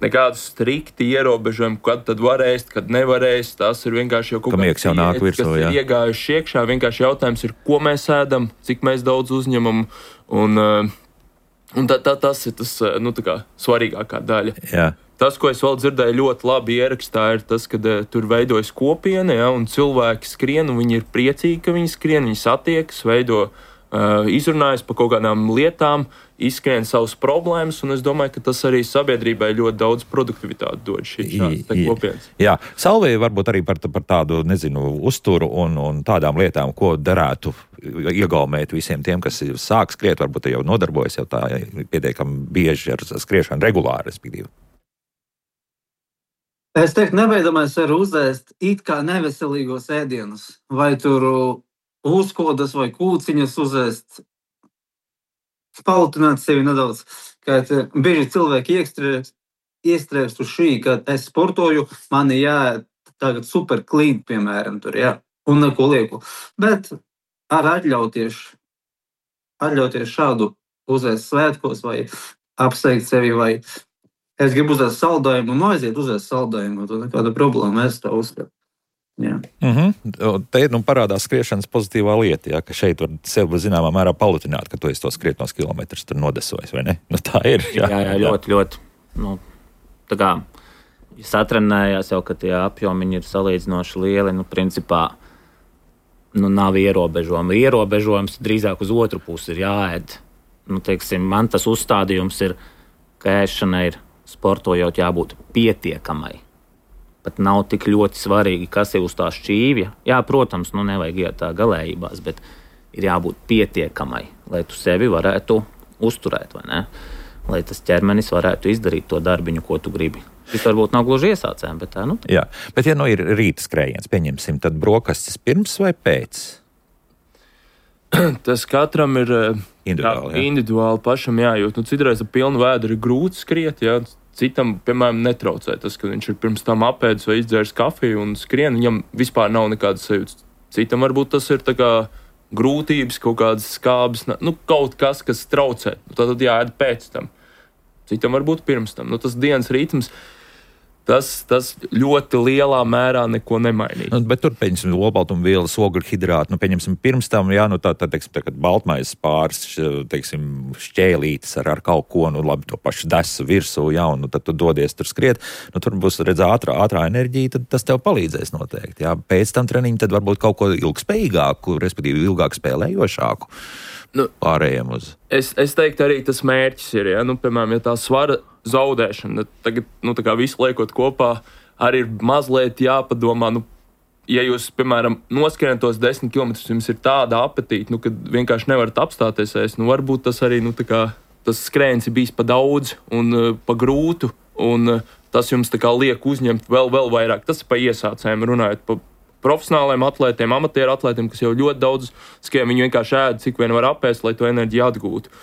nekādi strikti ierobežojumi, kad tad var ēst, kad nevar ēst, tas ir vienkārši jau kaut kāds iet, virsū, kas jā. Ir iegājuši iekšā, vienkārši jautājums ir, ko mēs ēdam, cik mēs daudz uzņemam, un, un tā, tā, tas ir tas, nu, tā kā svarīgākā daļa. Jā. Tas, ko es vēl dzirdēju ļoti labi ierakstā, ir tas, ka uh, tur veidojas kopiena, ja, un cilvēki skrien, un viņi ir priecīgi, ka viņi skrien, viņi satiekas, veido, uh, izrunājas par kaut kādām lietām, izskrien savas problēmas, un es domāju, ka tas arī sabiedrībai ļoti daudz produktivitāti dod šī kopienas. Jā, Salvija varbūt arī par, par tādu, nezinu, uzturu un, un tādām lietām, ko darētu iegaumēt visiem tiem, kas sāk skriet, varbūt jau nodarbojas jau tā pietiekami bieži ar skriešanu regulāri, respektīvi. Es teiktu, nebeidzamais var uzēst it kā neveselīgos ēdienus, vai tur uzkodas vai kūciņas uzēst, palutināt sevi nedaudz, kā bieži cilvēki iekstrē iestrēgst uz šī, ka es sportoju, man ir jāiet tagad super clean, piemēram, tur, jā, un neko lieku. Bet ar atļauties, atļauties šādu uzēst svētkos vai apsveikt sevi, vai es gribu uzēst saldējumu un aiziet uzēst saldējumu, tad nekāda problēma, es tā uzskatu. Jā. Mm-hmm. Te nu, parādās skriešanas pozitīvā lieta, ja, ka šeit var sev zināmā mērā palutināt, ka tu esi to skrietnos kilometrus tur nodesojis, vai ne? Nu, tā ir. Jā, jā, jā ļoti, ļoti. Nu, tā kā, ja satrenējās jau, ka tie apjomiņi ir salīdzinoši lieli, nu, principā, nu, nav ierobežojumi. Ierobežojums drīzāk uz otru pusi ir jāēd. Nu, teiksim, man tas uzstādījums ir, ka ēšanai ir sportojot jābūt pietiekamai. Pat nav tik ļoti svarīgi, kas ir uz tā šķīvja. Jā, protams, nu nevajag iet tā galējībās, bet ir jābūt pietiekamai, lai tu sevi varētu uzturēt, vai ne? Lai tas ķermenis varētu izdarīt to darbiņu, ko tu gribi. Šis varbūt nav gluži iesācējiem, bet tā, nu. Jā, bet ja nu ir rīta skrējiens, pieņemsim, tad brokastis pirms vai pēc? Tas katram ir individuāli, jā, individuāli pašam jājūt. Nu, citreiz ar pilnu vēdru ir grūti skriet, jā. Citam, piemēram, netraucē tas, ka viņš ir pirms tam apēdis vai izdzēris kafiju un skrien, viņam vispār nav nekādas sajūtas. Citam varbūt tas ir tā kā grūtības, kaut kādas skābes, nu, kaut kas, kas traucē. Nu, tad jāēd pēc tam. Citam varbūt pirms tam. Nu, tas dienas ritms, tas, tas ļoti lielā mērā neko nemainīs. Nu, bet tur, pieņemsim, olbaltumvielas, ogļhidrāti, nu, pieņemsim, pirms tam, jā, nu, tā, tā, teiksim, tā, kad baltmaizes pāris, teiksim, šķēlītes ar, ar kaut ko, nu, labi, to pašu desu virsū, jā, un nu, tad tu dodies tur skriet, nu, tur būs, redz, ātrā, ātrā enerģija, tad tas tev palīdzēs noteikti, jā. Pēc tam treniņu tad varbūt kaut ko ilgspējīgāku, respektīvi ilgāk spēlējošāku. Nu, pārējiem uz. Es, es teiktu, arī tas mērķis ir, ja, nu, piemēram, ja tā svara zaudēšana, tagad, nu, tā kā visu liekot kopā, arī ir mazliet jāpadomā, nu, ja jūs, piemēram, noskrienat tos desmit kilometrus, jums ir tāda apetīte, nu, kad vienkārši nevarat apstāties ēst, nu, varbūt tas arī, nu, tā kā, tas skrējiens ir bijis pa daudz un uh, pa grūtu, un uh, tas jums tā kā liek uzņemt vēl, vēl vairāk. Tas ir pa iesācējiem runājot, pa profesionāliem atlētiem, amatieru atlētiem, kas jau ļoti daudz skrien, viņi vienkārši ēd, cik vien var apēst, lai to enerģiju atgūtu.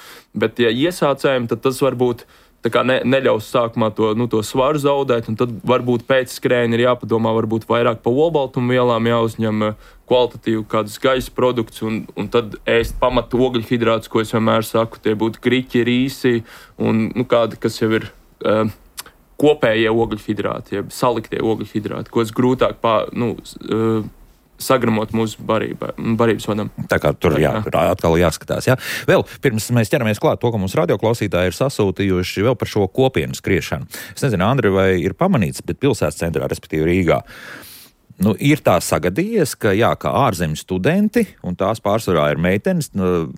Bet, ja iesācējiem, tad tas varbūt tā kā ne, neļaus sākumā to, nu, to svaru zaudēt, un tad varbūt pēc skrējiena ir jāpadomā varbūt vairāk pa olbaltumvielām, jāuzņem kvalitatīvu kādus gaisa produktus, un, un tad ēst pamatu ogļhidrātus, ko es vienmēr saku, tie būtu griķi, rīsi, un, nu, kādi, kas jau ir uh, kopējie ogļhidrāti, jeb saliktie ogļhidrāti, ko es grūtāk pā, nu, uh, sagramot mūsu barībā, barības vadam. Tā kā tur jā, atkal jāskatās. Jā. Vēl pirms mēs ķeramies klāt to, ka mums radioklausītāji ir sasūtījuši vēl par šo kopienu skriešanu. Es nezinu, Andri, vai ir pamanīts, bet pilsētas centrā, respektīvi Rīgā, nu, ir tā sagadījies, ka, jā, kā ārzemju studenti, un tās pārsvarā ir meitenes, nu,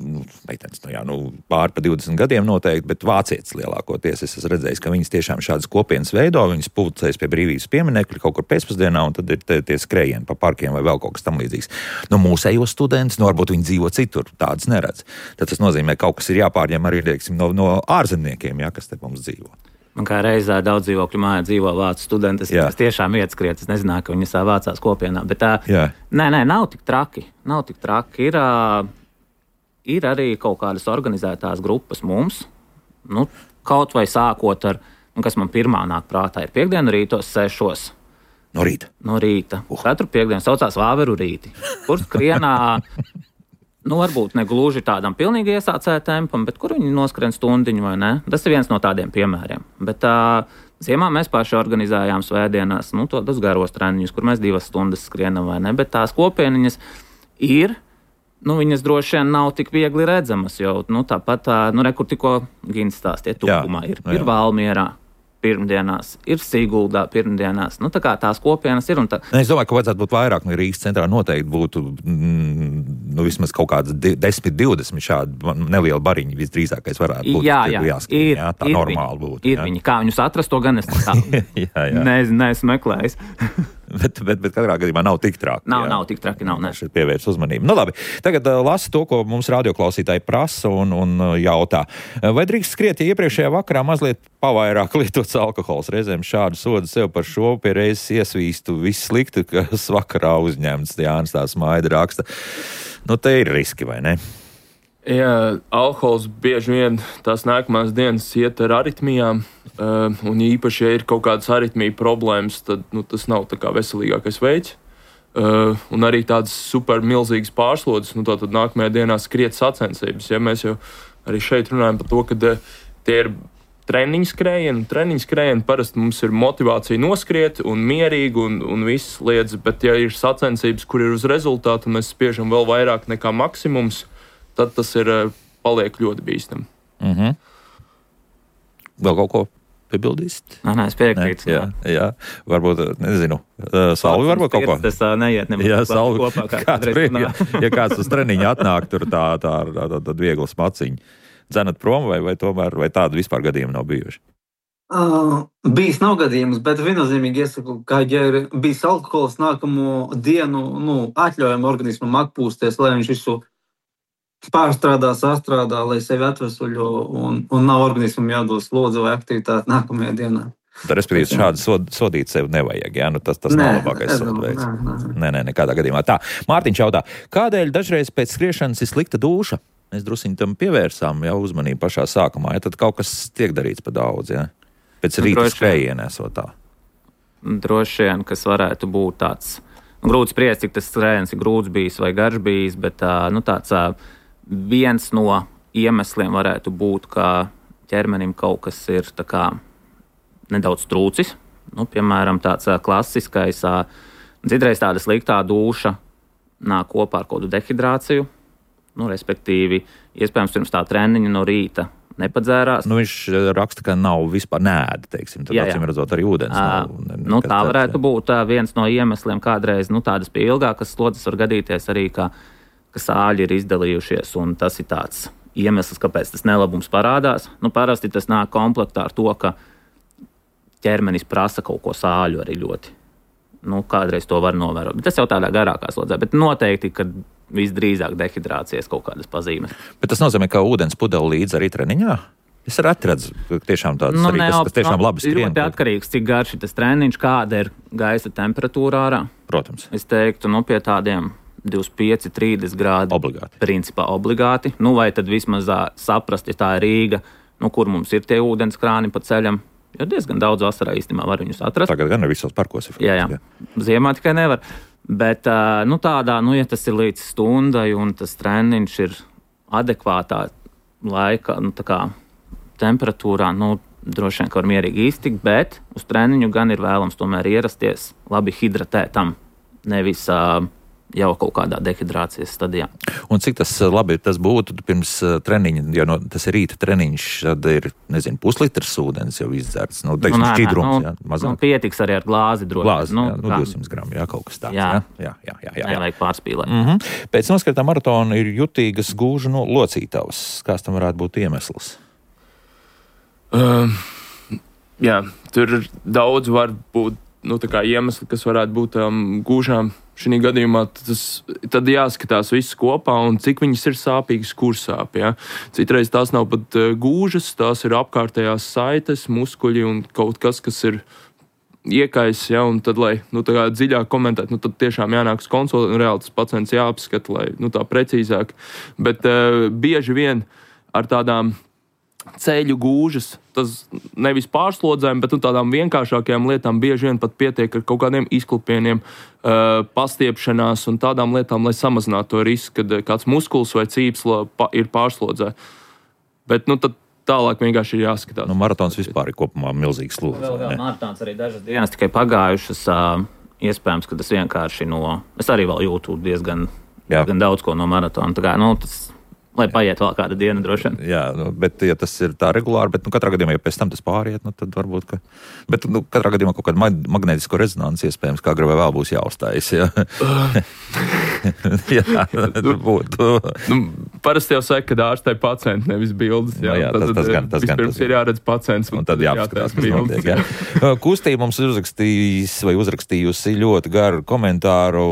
meitenes, nu, jā, nu, pāri pa divdesmit gadiem noteikti, bet vācietis lielākoties. Es esmu redzējis, ka viņas tiešām šādas kopienas veido, viņas pulcējas pie brīvības pieminekļa kaut kur pēcpusdienā, un tad ir tie, tie skrējieni pa parkiem vai vēl kaut kas tam līdzīgs. Nu, mūsējos students, nu, varbūt viņi dzīvo citur, tādas neredz. Tad tas nozīmē, ka kaut kas ir jāpārņem arī, teiksim, no, no ārzemniekiem, jā, kas te mums dzīvo. Man kā reizē daudz dzīvokļu mājā dzīvo vācu studenti. Es, es tiešām iet skriet, es nezināju, ka viņi savā vācās kopienā. Bet tā, nē, nē, nav tik traki. Nav tik traki. Ir, ir arī kaut kādas organizētās grupas mums. Nu, kaut vai sākot ar, nu, kas man pirmā nāk prātā, ir piekdienu rītos sešos. No rīta? No rīta. Uh. Katru piekdienu saucās Vāveru rīti. Kur skrienā... Nu, varbūt ne gluži tādam pilnīgi iesācēja tempam, bet kur viņi noskrien stundiņu vai ne? Tas ir viens no tādiem piemēriem. Bet uh, ziemā mēs paši organizējām svētdienās, nu, tādus garos treniņus, kur mēs divas stundas skrienam vai ne, bet tās kopieniņas ir, nu, viņas droši vien nav tik viegli redzamas, jo, nu, tāpat, uh, nu, re, kur tikko Gins stāstie Tukumā ir, jā. Ir Valmierā pirmdienās, ir Siguldā pirmdienās. Nu, tā kā tās kopienas ir. Un tā... Es domāju, ka vajadzētu būt vairāk, nu, Rīgas centrā noteikti būtu, mm, nu, vismaz kaut kāds desmit, divdesmit šādi nelieli bariņi visdrīzākais varētu būt. Jā, jā, jāskat, ir, jā, tā ir normāli viņi, būtu. Ir jā. viņi. Kā viņus atrast, to gan es tā jā, jā. ne, neesmu meklējis. bet, bet, bet katrā gadījumā nav tik traki. Nav, jā. nav tik traki, nav, ne. Šeit pievērs uzmanību. Nu, labi, tagad uh, lasa to, ko mums radioklausītāji prasa un, un uh, jautā. Vai drīkst skriet, ja iepriekšējā vakarā mazliet pavairāk lietots alkohols? Reizēm šādu sodu sev par šo pie reizes iesvīstu viss slikti, kas vakarā uzņemts. Jānis tā smaida raksta. Nu, te ir riski, vai ne? Jā, alkohols bieži vien tās nākamās dienas iet ar aritmijām, uh, un īpaši, ja ir kaut kādas aritmiju problēmas, tad nu, tas nav tā kā veselīgākais veids. Uh, un arī tādas super milzīgas pārslodzes, nu tā tad nākamajā dienā skriet sacensības. Ja mēs jau arī šeit runājam par to, ka uh, tie ir treniņu skrējieni, treniņu skrējieni parasti mums ir motivācija noskriet un mierīgi un, un viss lietas, bet ja ir sacensības, kur ir uz rezultātu, mēs spiežam vēl vairāk nekā maksimums, tad tas ir paliek ļoti bīstami. Mm-hmm. Vēl kaut ko piebildīst? Nē, nē, es piekrītu. Jā, jā, varbūt, nezinu, Salvi varbūt kaut ko. Tas tā neiet nemaz jā, Salvi, kopā. Kā kāds brīd, ja, ja kāds uz treniņu atnāk, tur tā, tā, tā, tā, tā viegla smaciņa. Dzenat prom vai, vai tomēr, vai tādu vispār gadījumu nav bijuši? Uh, bijis nav gadījums, bet viennozīmīgi iesaku, ka, ja ir bijis alkohols nākamo dienu, nu, atļaujam organismam atpūsties, lai viņš visu pārstrādā, sastrādā, lai sevi atvesuļo un, un nav organismam jādod slodze vai aktivitāte nākamajā dienā. Tā, respektīvi, šādi sod, sodīt sevi nevajag, jā? Nu, tas, tas nē, nav labākais sodveids. Nē, nē. nē, nē, nekādā gadījumā. Tā, Mārtiņš jautā, kādēļ dažreiz pēc skriešanas ir slikta dūša? Mēs drusiņi tam pievērsām jau uzmanību pašā sākumā, ja tad kaut kas tiek darīts pa daudz, ja? Pēc nu, rīta skrējienē esot tā. Droši vien, kas varētu būt tāds, nu, grūti spriest, cik tas skrējiens ir grūts bijis vai garš bijis, bet nu, tāds viens no iemesliem varētu būt, ka ķermenim kaut kas ir tā kā nedaudz trūcis. Nu, piemēram, tāds klasiskais, citreiz tāda sliktā dūša nāk kopā ar kaut kādu dehidrāciju. Nu, respektīvi, iespējams, pirms tā treniņa no rīta nepadzērās. Nu, viņš raksta, ka nav vispār nēda, teiksim, tad acīm redzot arī ūdens. À, nav, ne, nu, tā varētu tāds, būt tā, viens no iemesliem kādreiz, nu, tādas pie ilgākas slodzes var gadīties arī, ka, ka sāļi ir izdalījušies, un tas ir tāds iemesls, kāpēc tas nelabums parādās. Nu, parasti tas nāk komplektā ar to, ka ķermenis prasa kaut ko sāļu arī ļoti. Nu, kādreiz to var novērot, bet tas jau tādā garākā slodzē, bet noteikti, ka visdrīzāk dehidrācijas kaut kādas pazīmes. Bet tas nozīmē, ka ūdens pudeli līdz arī treniņā? Es redzu, tiešām tādas nu, arī, ne, kas, kas tiešām no, labi skrien. Ļoti atkarīgs, cik garš ir tas treniņš, kāda ir gaisa temperatūra ārā. Protams. Es teiktu, nu, pie tādiem divdesmit pieci trīsdesmit grādi. Obligāti. Principā obligāti. Nu, vai tad vismaz saprast, ja tā ir Rīga, nu, kur mums ir tie ūdens krāni pa ceļam. Jo diezgan daudz vasarā īstenībā var viņus atrast. Tagad gan ir visos parkos. Ir jā, jā. Ziemā tikai nevar. Bet, nu, tādā, nu, ja tas ir līdz stundai un tas treniņš ir adekvātā laika, nu, tā kā temperatūrā, nu, droši vien, ka var mierīgi iztikt, bet uz treniņu gan ir vēlams tomēr ierasties labi hidratētam, nevis uh, jau kaut kādā dehidrācijas stadijā. Un cik tas labi tas būtu pirms treniņa, jo no, tas ir rīta treniņš, tad ir, nezinu, puslitrs ūdens jau izdzerts, nu, teiksim, nu, šķidrums, nu, jā, mazāk. Nu, pietiks arī ar glāzi droši. Glāzi, nu, jā, nu, divsimt gramu, jā, kaut kas tāds, jā. Jā, jā, jā, jā, jā. Nevajag pārspīlēt. Mm-hmm. Pēc noskatā maratona ir jutīgas gūžu no locītavas. Kāds tam varētu būt iemesls? Um, jā, tur daudz var būt, nu, tā kā iemesli, kas varētu būt um, gūžām. Šī gadījumā tas, tad jāskatās viss kopā un cik viņas ir sāpīgas, kur sāp. Ja? Citreiz tās nav pat uh, gūžas, tās ir apkārtējās saites, muskuļi un kaut kas, kas ir iekais. Ja? Un tad, lai nu, tā kā dziļāk komentēt, nu, tad tiešām jānāk uz konsultāciju un reāli tas pacients jāapskata, lai nu, tā precīzāk. Bet uh, bieži vien ar tādām ceļu gūžas, tas nevis pārslodzēm, bet nu, tādām vienkāršākajām lietām bieži vien pat pietiek ar kaut kādiem izklupieniem, uh, pastiepšanās un tādām lietām, lai samazinātu to risku, kad kāds muskulis vai cīpsla pa, ir pārslodzē. Bet nu, tad tālāk vienkārši ir jāskatās. Nu, maratons vispār ir kopumā milzīgs slodze. Vēl, vēl maratons arī dažas dienas tikai pagājušas. Uh, iespējams, ka tas vienkārši no... Es arī vēl jūtu diezgan, diezgan daudz ko no maratona. Tā kā, nu, tas... Lai paiet vēl kāda diena, droši vien. Jā, nu, bet ja tas ir tā regulāri, bet nu, katrā gadījumā, ja pēc tam tas pāriet, nu, tad varbūt, ka... Bet nu, katrā gadījumā kaut kāda magnētisko rezonanci iespējams, kā agrāk vēl būs jāuzstājas, jā. jā, tur būtu. Nu, parasti jau saka, ka ārstē pacienti, nevis bildes. Jā, no, jā tas, tad, tas gan, tas gan. Vispirms ir jāredz pacients. Un tad jāapskatās, kas notiek, jā. Kustība mums uzrakstījis vai uzrakstījusi ļoti garu komentāru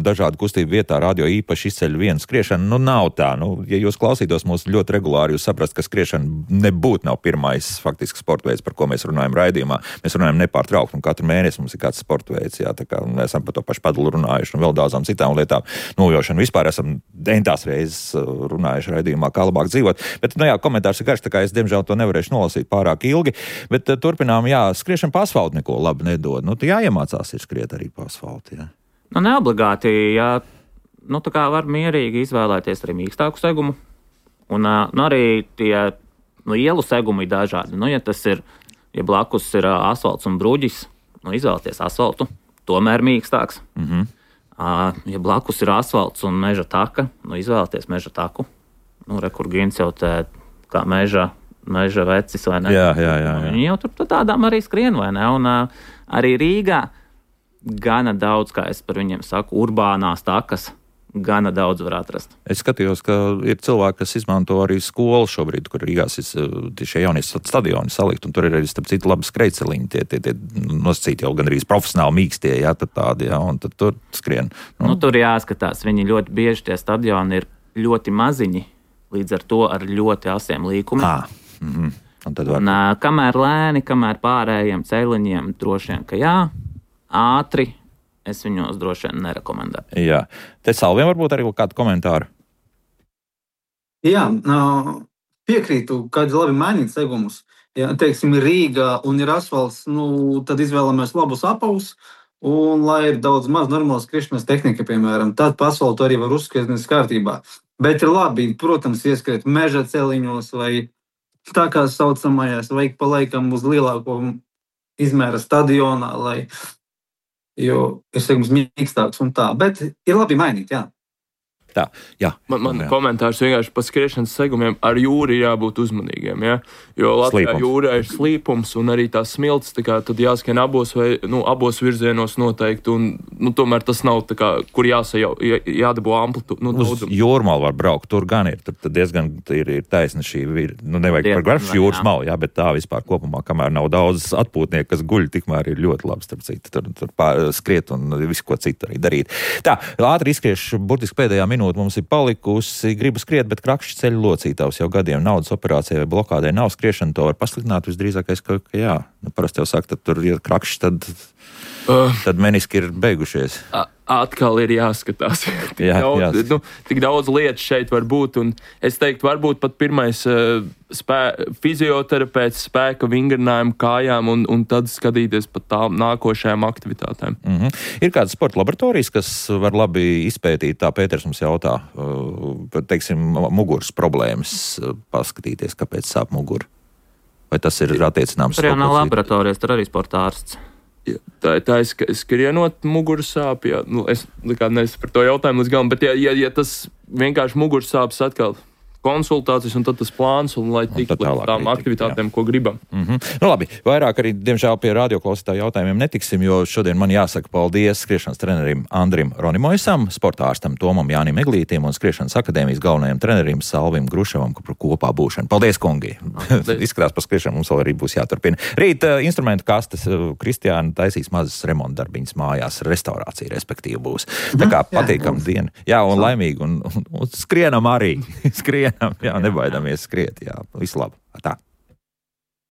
dažādu kustību vietā, radio īpaši izceļ vienu skriešanu. Nu, nav tā, nu, ja jūs klausītos mūs ļoti regulāri, jūs saprast, ka skriešana nebūtu nav pirmais faktiski sporta veids, par ko mēs runājam raidījumā. Mēs runājam nepārtraukti, un katru mēnesi mums ir kāds sporta veids, jā, tā kā mēs esam par to pašu padulu runājuši un vēl daudzām citām lietām. Nojošanu vispār esam dentās reizes runājuši raidījumā, kā labāk dzīvot. Bet, nu jā, komentārs ir garš, tā kā es, diemžēl, to nevarēšu nolasīt pārāk ilgi. Bet uh, turpinām, jā, skriešana pa asfaltu neko labi nedod. Nu, jāiemācās ir skriet arī pa asfaltu, jā. Nu, neobligāti, jā. Nu, tā kā var mierīgi izvēlēties arī mīkstāku segumu. Un uh, nu, arī tie nu, ielu segumi ir dažādi. Nu, ja tas ir, ja blakus ir uh, asfalts un bruģis, nu, izvēlēties asfaltu, tomēr mīkstāks. Mhm. Uh, ja blakus ir asfalts un meža taka, nu, izvēlēties meža taku. Nu, re, kur Gins jau te kā meža, meža vecis, vai ne? Jā, jā, jā. jā. Viņi jau tur tādām arī skrien, vai ne? Un uh, arī Rīgā gana daudz, kā es par viņiem saku, urbānās takas, gana daudz var atrast. Es skatījos, ka ir cilvēki, kas izmanto arī skolu šobrīd, kur Rīgās ir šie jaunie stadioni salikt, un tur ir arī, starp citu, labi skrejceliņi, tie, tie, tie nosacīti jau gan arī profesionāli mīkstie, jā, tad tādi, jā, un tad tur skrien. Nu. Nu, tur jāskatās, viņi ļoti bieži tie stadioni ir ļoti maziņi, līdz ar to ar ļoti asiem līkumiem. Ah, mhm. Un tad var... Un, uh, kamēr lēni, kamēr pārējiem ceļiņiem, droši vien, ka jā, ātri, es viņos droši vien nerekomendēju. Jā. Te Salviem varbūt arī kādu komentāru? Jā, piekrītu, kādi labi mainīt segumus. Ja, teiksim, ir Rīga un ir asfalts, nu, tad izvēlamies labus apavus, un lai ir daudz maz normālas skriešanas tehnika, piemēram, tad pa asfaltu arī var uzskrietnes kārtībā. Bet ir labi, protams, ieskriet meža celiņos vai tā kā saucamajās, vajag pa laikam uz lielāko izmēra stadionā, lai jo ir segums mīkstāks un tā, bet ir labi mainīt, jā. Tā, jā. Man, man jā. komentārs vienkārši par skriešanas segumiem ar jūru jābūt uzmanīgiem, ja? Jo Latvijā Slīpums. jūrā ir slīpums un arī tās smilts, tā kā tad jāskrien abos, vai, nu, abos virzienos noteikti, un nu, tomēr tas nav tā kā, kur jāsajau, jā, jādabū amplitūdu, nu, Uz daudzumu. jūrmalu var braukt, tur gan ir, tur diezgan ir, ir taisna šī, ir, nu nevajag Diezgan, par garšu jā. jūras malu, jā, bet tā vispār kopumā, kamēr nav daudz atpūtnieku, kas guļ, tikmēr ir ļoti labi, starp citu, tur, tur pār, skriet un visu ko citu arī darīt. Tā, ātri izskriešu, burtiski pēdējā minūte mums ir palikusi, gribu skriet, bet krakšķi ceļu locītavs jau gadiem naudas operācijai vai blokādē nav skriešana, to var pasliktināt visdrīzākais, ka, ka jā. Nu, parasti jau saka, tad tur ir krakšķi, tad, Uh. tad meniski ir beigušies. A- Atkal ir jāskatās. tik, Jā, daudz, jā. Nu, tik daudz lietu šeit var būt. Un es teiktu, varbūt pat pirmais uh, spē, fizioterapeits spēka vingrinājumu kājām un, un tad skatīties pat tām nākošajām aktivitātēm. Mm-hmm. Ir kādas sporta laboratorijas, kas var labi izpētīt, tā Pēters mums jautā, uh, teiksim, muguras problēmas, uh, paskatīties, kāpēc sāp mugura. Vai tas ir attiecināms? Tur jau nav kaut kas- laboratorijas, tur arī sporta ārsts. Ja, tā, tā ir sk- skrienot muguras sāp. Ja, nu, es neesmu par to jautājumu līdz galam, bet ja, ja, ja tas vienkārši muguras sāpes atkal konsultācijas un tad tas plāns, un lai tiktu līdz tām arī aktivitātēm, ko gribam. Mm-hmm. Nu labi, vairāk arī, diemžēl, pie radioklausītāju jautājumiem netiksim, jo šodien man jāsaka paldies skriešanas trenerim Andrim Ronimoisam, sporta ārstam Tomam Jānim Eglītim un skriešanas akadēmijas galvenajam trenerim Salvim Gruševam par kopā būšanu. Paldies, kungi! Izskatās par skriešanu mums vēl arī būs jāturpina. Rīt uh, instrumentu kastes uh, Kristiāna taisīs mazas remontdarbiņas mājās, restaurācija respektīvi būs. Tā kā patīkam diena. Jā, un laimīgi, un, un, un skrienam arī. Skrienam, jā, nebaidamies skriet, jā, visu labu. Tā.